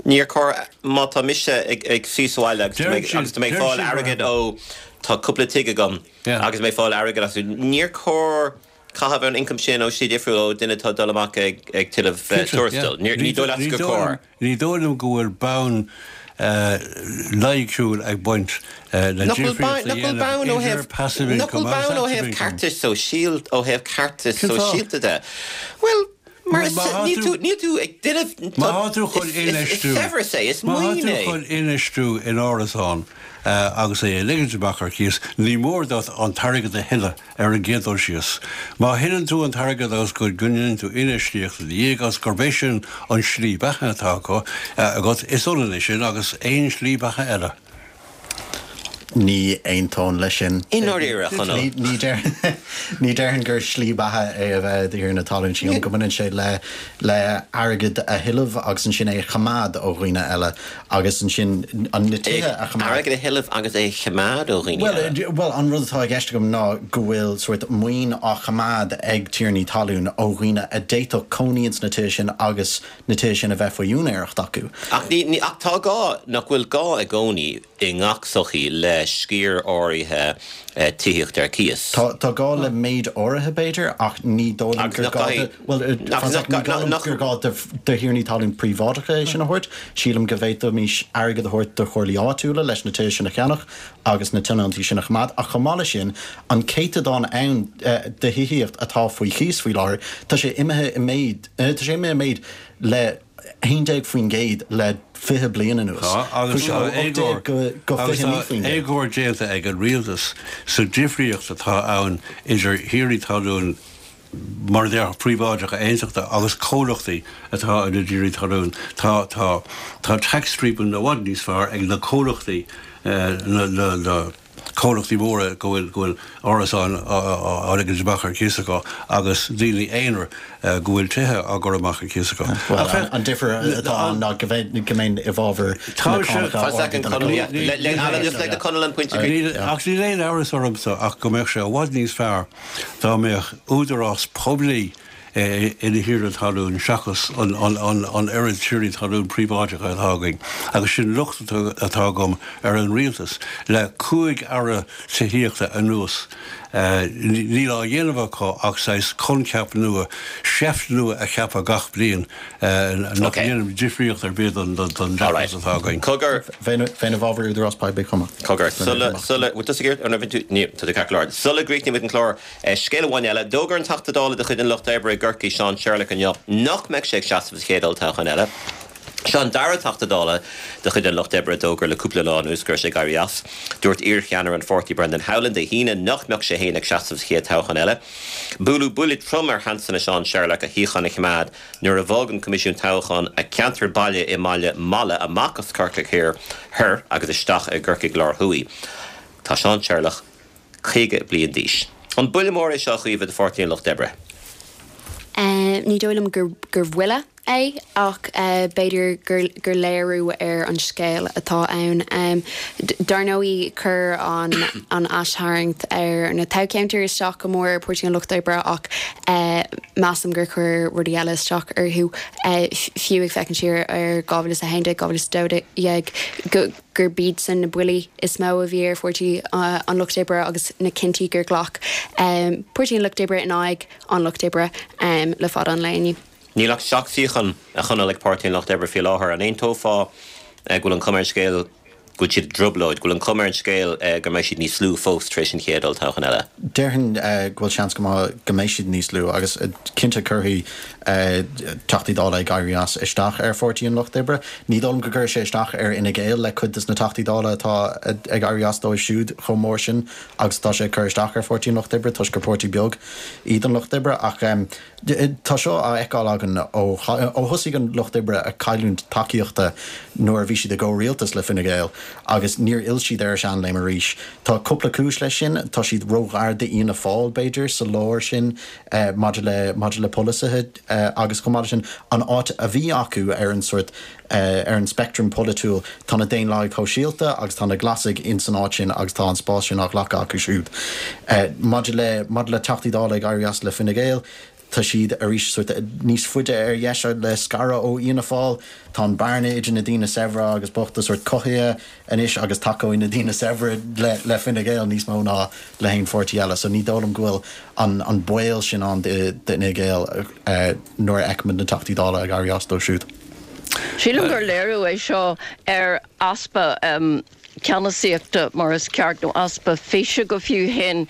Níor chóir, má tá mise ag suí sa bhaile agus tá mé ag fáil airgead ó, tá cúpla tigh agam agus mé ag fáil airgead astu, níor chóir caitheamh ar an ioncam sin ó slí difriúil ó duine atá ag dul amach ag tuilleamh tuarastail. Ní dóigh leat gur chóir. Ní dóigh liom go bhfuil bonn loighciúil ag baint le difríocht a dhéanamh idir passive income agus Nach bhfuil bonn ó active thaobh income. ceartais sóisialta ó thaobh ceartais sóisialta de? Bhuel, mar is níl tú níl tú ag duine Má tá tú chun infheistiú Is saibhreas é, is Má tá maoin tú é. chun infheistiú in árasán agus é a ligint amach ar cíos, ní mór duit an t-airgead a thuilleadh ar an gcéad dul síos. Má thuilleann tú an t-airgead agus go ndéanann tú infheistíocht ina dhiaidh agus gurb é sin an slí beatha atá acu, agat, is ionann é sin agus aon slí beatha eile. Ní aontóinn leis sin. I ndáiríre, a Chonaill. Ní ní déarfainn gur slí beatha é a bheith i do thiarna talún. Sílim go mbaineann sé le le airgead a thuilleamh agus ansin é a choimeád ó dhaoine eile agus ansin an na tithe a choimeád. Airgead a thuilleamh agus é a choimeád ó dhaoine eile. Bhuel, an rud atá i gceist agam ná go bhfuil sórt maoin á choimeád ag tiarnaí talún ó dhaoine a d'fhéadfadh cónaí ins na tithe sin agus na tithe sin a bheith faoi úinéireacht acu. Ach ní, ní, ach tá gá, nach bhfuil gá i gcónaí i ngach sochaí le sciar áirithe tithíocht ar cíos? Tá, tá gá le méid áirithe b'fhéidir ach ní dóigh liom gur gá do, bhuel, ní dóigh liom gur gá do thiarnaí talún príobháideacha é sin a thabhairt. Sílim go bhféadfaimis airgead a thabhairt do chomhairlí áitiúla leis na tithe sin a cheannach agus na tionóntaí sin a choimeád. Ach chomh maith leis sin, an céatadán ann de thithíocht atá faoi chíos faoi láthair, tá sé imithe i méid, tá sé imithe i méid le haon déag faoin gcéad le fiche bliain anuas. Tá, agus tá éagóir, agus tá éagóir déanta ag an rialtas sa difríocht atá ann idir thiarnaí talún mar a déarfá príobháideacha aontachta agus comhlachtaí atá ina dtiarnaí talún. Tá, tá, tá tax treatment i bhfad níos fearr ag na comhlachtaí, na, na, na. comhlachtaí móra go bhfuil go bhfuil árasáin á ligint amach ar cíos acu agus daoine aonair go bhfuil tithe á gcur amach ar cíos acu. Bhuel, an difear atá ann ná go mbeinn i bhfabhar na cánacha arda do na comhlachtaí. Ach níl aon amhras ormsa ach go mbeadh sé i bhfad níos fearr dá mbeadh údarás poiblí ina thiarna talún seachas an an oiread tiarnaí talún príobháideacha atá againn. Agus sin locht atá agam ar an rialtas le cúig aire tithíochta anuas. Níl á dhéanamh acu ach saghas coincheap nua, seift nua a cheapadh gach bliain nach ndéanann difríocht ar bith don deachras atá againn. Cogar. Bheinn i bhfabhar údarás poiblí chomh maith. Cogar. Sula, sula, bhfuil tusa ag iarraidh, nó bhí tú, ní, tá tú ceart go leor. Sula gcríochnaímid an clár, scéal amháin eile, d'fhógair an Teachta Dála de chuid an Lucht Oibre i gCorcaigh, Seán Sherlock inniu nach mbeidh sé ag seasamh sa chéad olltoghchán eile. Seo an dara Teachta Dála de chuid an Lucht Oibre a d'fhógair le cúpla lá anuas go raibh sé ag éirí as. Dúirt iarcheannaire an pháirtí Brendan Howlin Dé hAoine nach mbeadh sé féin ag seasamh sa chéad toghchán eile. Buaileadh buille trom ar sheansanna Seán Sherlock a shuíochán a choimeád nuair a bhog an Coimisiún Toghcháin a cheantar baile i mBaile Meala amach as Corcaigh Thiar Thoir agus isteach i gCorcaigh Láir Thuaidh. Tá Seán Sherlock caoga bliain d'aois. An buille mór é seo a Chaoimhe do Pháirtí an Lucht Oibre? Ní dóigh liom gur bhuille é ach b'fhéidir gur léiriú ar an scéal atá ann. Dar ndóigh chuir an aistharraingt ar na toghcheantair isteach go mór ar Pháirtí an Lucht Oibre ach measaim gur chuir rudaí eile isteach orthu, fiú ag féachaint siar ar dhá mhíle is a haon déag, dhá mhíle is a dó dhéag, gurb iadsan na buillí is mó a bhí ar Pháirtí an Lucht Oibre agus na cinntí gur ghlac Páirtí an Lucht Oibre in aghaidh an Lucht Oibre le fada an lae inniu. Níl ach seacht suíochán, a Chonaill, ag Páirtí an Lucht Oibre faoi láthair. An aontófá go bhfuil an chuma ar an scéal go bhfuil siad i dtrioblóid, go bhfuil an chuma ar an scéal go mbeidh siad níos lú fós tar éis an chéad olltoghchán eile? Déarfainn go bhfuil seans go maith go mbeidh siad níos lú agus cinnte cuirfidh Teachtaí Dála ag éirí as isteach ar Pháirtí an Lucht Oibre. Ní dóigh liom go gcuirfidh sé isteach ar Fhine Gael le cuid de na Teachtaí Dála atá ag éirí as dóibh siúd chomh mór sin agus atá sé ag cur isteach ar Pháirtí an Lucht Oibre toisc gur páirtí beag iad an Lucht Oibre ach Tá seo á fheiceáil againn ó thosaigh an Lucht Oibre ag cailliúint tacaíochta nuair a bhí siad i gcomhrialtas le Fine Gael agus níor fhill siad ar a seanléim arís. Tá cúpla cúis leis sin, tá siad róghar d'Fhianna Fáil, b'fhéidir, sa lár sin maidir le maidir le polasaithe agus chomh maith leis sin an áit a bhí acu ar an sórt ar an speictream polaitiúil, tá na Daonlathaigh Shóisialta agus tá na Glasaigh ins an áit sin agus tá an spás sin á ghlacadh acu siúd. Maidir le maidir le Teachtaí Dála ag éirí as le Fine Gael, tá siad arís sórt níos faide ar dheis le scaradh ó Fhianna Fáil. Tá an bearna idir na daoine saibhre agus bochta sórt cothaithe anois agus tacóidh na daoine saibhre le le Fine Gael níos mó ná le haon pháirtí eile. So ní dóigh liom go bhfuil an an baol sin ann d'Fhine Gael nuair a fheicimid na Teachtaí Dála ag éirí as dóibh siúd. Sílim gur léiriú é seo ar easpa ceannasaíochta mar is ceart nó easpa físe go fiú féin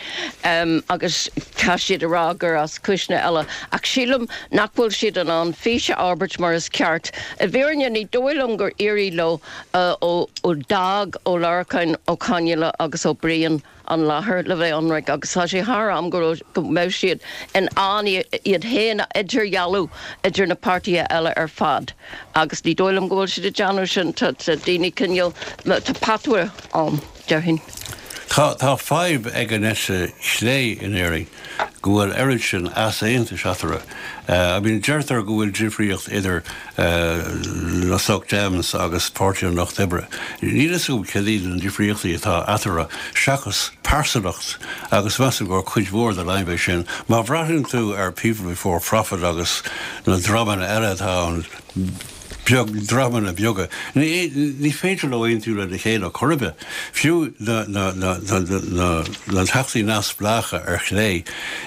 agus tá siad ag rá gur as cúiseanna eile ach sílim nach bhfuil siad in ann fís a fhorbairt mar is ceart. I bhfírinne ní dóigh liom gur éirigh leo ó d'fhág Ó Lorcáin, Ó Conghaile agus Ó Briain an láthair le bheith ionraic agus tá sé thar am go raibh, go mbeadh siad in ann iad féin a idirdhealú idir na páirtithe eile ar fad agus ní dóigh liom go bhfuil siad ag déanamh sin, tá daoine cineál, tá patuaire ann, déarfainn. Tá, tá fadhb ag an eite chlé in Éirinn go bhfuil oiread sin easaontais eatarthu. I mean, deirtear go bhfuil difríocht idir na Soc Dems agus Páirtí an Lucht Oibre. Níl a fhios agam cad iad na difríochtaí atá eatarthu seachas pearsanacht agus measaim gur cuid mhór den fhadhb é sin. Má bhreathnaíonn tú ar People Before Profit agus na dreamanna eile atá ann, beag, dreamanna beaga. Ní, ní féidir leo aontú lena chéile chor ar bith. Fiú na, na, na, na, na, na teachtaí neamhspleácha ar chlé,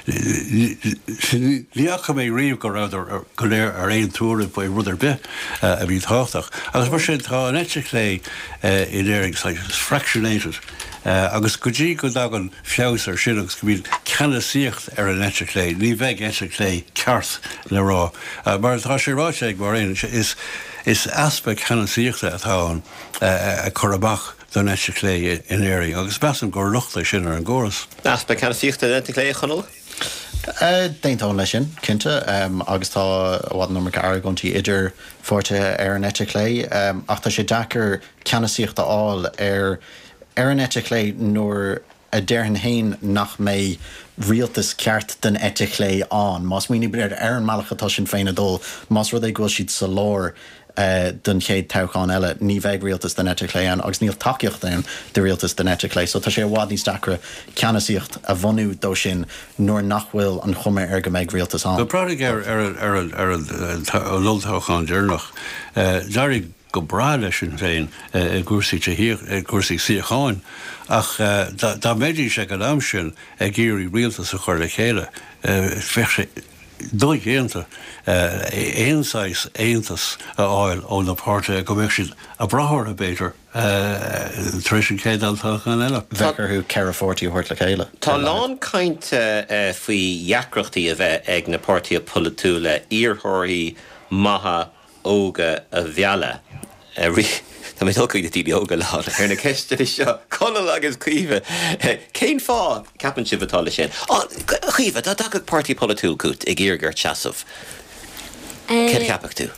ní fhaca mé riamh go rabhadar go léir ar aon tuairim faoi rud ar bith a bhí tábhachtach. Agus mar sin, tá an eite chlé in Éirinn saghas fractionated. Agus go dtí go dtagann feabhas ar sin agus go mbíonn ceannasaíocht ar an eite chlé, ní bheidh eite chlé ceart le rá. Mar atá sé ráite ag Máiréad, is is easpa ceannasaíochta atá ann ag cur amach don eite chlé in Éirinn agus measaim gur locht é sin ar an gcóras. Easpa ceannasaíochta den eite chlé, a Chonaill? D'aontóinn leis sin, cinnte, agus tá i bhfad an iomarca argóintí idir pháirtithe ar an eite chlé, ach tá sé deacair ceannasaíocht a fháil ar ar an eite chlé nuair a déarfainn féin nach mbeidh rialtas ceart den eite chlé ann. Má smaoinímid ar an mbealach atá Sinn Féin ag dul, más rud é go bhfuil siad sa lár, don chéad toghchán eile, ní bheidh rialtas den eite chlé ann agus níl tacaíocht ann do rialtas den eite chlé. So tá sé i bhfad níos deacra ceannasaíocht a bhunú dó sin nuair nach bhfuil an chuma air go mbeidh rialtas ann. Breathnaigh ar ar ar an olltoghchán deireanach. D'éirigh go breá le Sinn Féin i gcúrsaí i gcúrsaí suíocháin ach dá mbeidís ag an am sin ag iarraidh rialtas a chur le chéile, bheadh sé dodhéanta aon saghas aontas a fháil ó na páirtithe go mbeadh siad ag brath orthu b'fhéidir tar éis an chéad olltoghchán eile. Bheadh orthu ceithre pháirtí a thabhairt le chéile. Tá a lán cainte faoi dheacrachtaí a bheith ag na páirtithe polaitiúla iarrthóirí maithe óga a mhealladh. Tá mé ag dul chuig na daoine óga lán ar na ceisteanna seo, Conall agus Caoimhe. Cén fáth, ceapann sibh, atá leis sin? Caoimhe, dá dtagadh páirtí polaitiúil chugat ag iarraidh ort seasamh, céard a cheapfadh tú?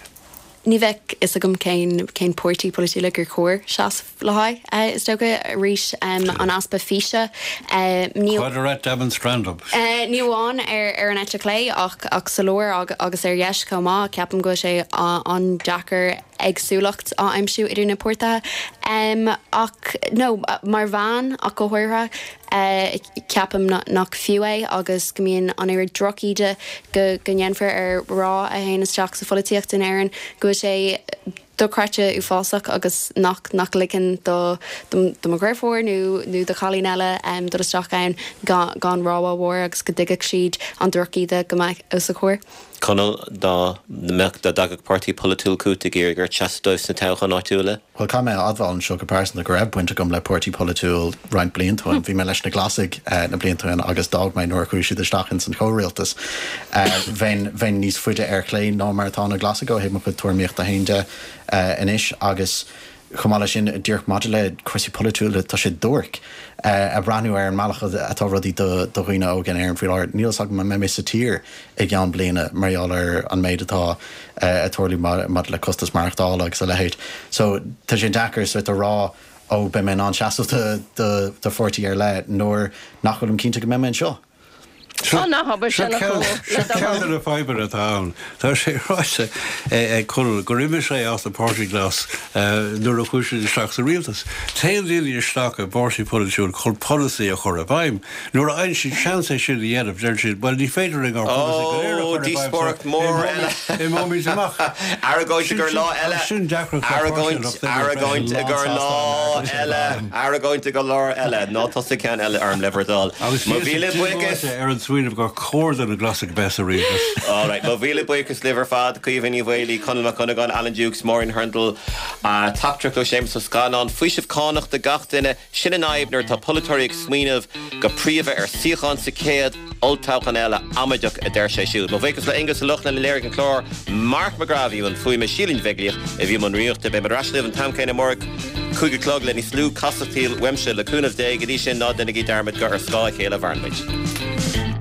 Ní bheadh fhios agam cén cén páirtí polaitiúla gur chóir seasamh le haghaidh, is dócha. Arís, an easpa físe. Ní. Quod erat demonstrandum. Ní amháin ar ar an eite chlé ach ach sa lár agus ar dheis chomh maith. Ceapaim go bhfuil sé an-deacair éagsúlacht á aimsiú idir na páirtithe. Ach, nó mar bhean ach go háirithe, ceapaim nach fiú é agus go mbíonn an oiread drochíde go go ndéanfar ar mhná a théann isteach sa pholaitíocht in Éirinn go bhfuil sé dochreidte uafásach agus nach nach ligeann do do mo dheirfiúr nó nó do chailín eile dul isteach ann gan gan rabhadh mhór agus go dtuigfeadh siad an drochíde go mbeadh os a chomhair. Conall, dá mbeadh, dá dtagadh páirtí polaitiúil chugat ag iarraidh ort seasamh dóibh sna toghcháin áitiúla? Bhuel, caithfidh mé a admháil anseo go pearsanta go raibh baint agam le páirtí polaitiúil roinnt blianta ó shin. Bhí mé leis na Glasaigh na blianta ó shin agus d'fhág mé nuair a chuaigh siad isteach ins an chomhrialtas. Bheinn, bheinn níos faide ar chlé ná mar atá na Glasaigh ó thaobh mo chuid tuairimíochta féin de anois agus chomh maith leis sin, díreach maidir le cúrsaí polaitiúla, tá sé duairc ag breathnú ar an mbealach atá rudaí do dhaoine óga in Éirinn faoi láthair. Níl fhios agam an mbeidh mé sa tír i gceann bliana mar gheall ar an méid atá ag tarlú maidir le costas maireachtála agus a leithéid. So tá sé deacair sort a rá ó beidh mé in ann seasamh do pháirtí ar leith nuair nach bhfuilim cinnte go mbeidh mé anseo. Tá ná habair Seo sin a ceann Chonaill, seo le do ceann thoil. de na fadhbanna atá ann. Tá sé ráite ag Conall gur imigh sé as an Páirtí Glas nuair a chuaigh siad isteach sa rialtas. Téann daoine isteach i bpáirtí polaitiúil chun polasaí a chur i bhfeidhm. Nuair a fhaigheann siad seans é sin a dhéanamh, deireann siad, bhuel ní féidir linn ár bpolasaí go léir a Ó, chur i bhfeidhm so díospóireacht mhór eile. imeoimid amach. Argóint i Sin gcomhair sin lá eile. sin deacracht le páirtí an Argóint, Lucht Oibre freisin. argóint i Lán gcomhair sásta lá an argóint sin eile. a bheith. Argóint i gcomhair lá eile. Ná tosaigh ceann eile orm le bhur dtoil. Agus Mo bhíos mhíle ag buíochas. díomáite ar an smaoineamh gur chóir do na Glasaigh bheith sa rialtas. All right, mo mhíle buíochas libh ar fad, Caoimhe Ní Mhaolaí, Conall Mac Cuinneagáin, Alan Dukes, Máirín Hurndall, teachtaireacht ó Séamus Ó Scanláin, faoiseamh cánach do gach duine, sin an fhadhb nuair atá polaiteoirí ag smaoineamh go príomha ar suíochán sa chéad olltoghchán eile, amaideach a deir sé siúd. Mo bhuíochas le Aonghus Ó Lochlainn a léirigh an clár, Mark McGrath a bhí i mbun fuaime, Síle Ní Bheaglaoich a bhí i mbun rúnaíochta. Beidh muid ar ais libh an t-am céanna amárach, cúig a chlog le níos lú casachtaíl uaimse, le cúnamh Dé. Go dtí sin, ná déanaigí dearmad gur ar scáth a chéile a mhaireann muid.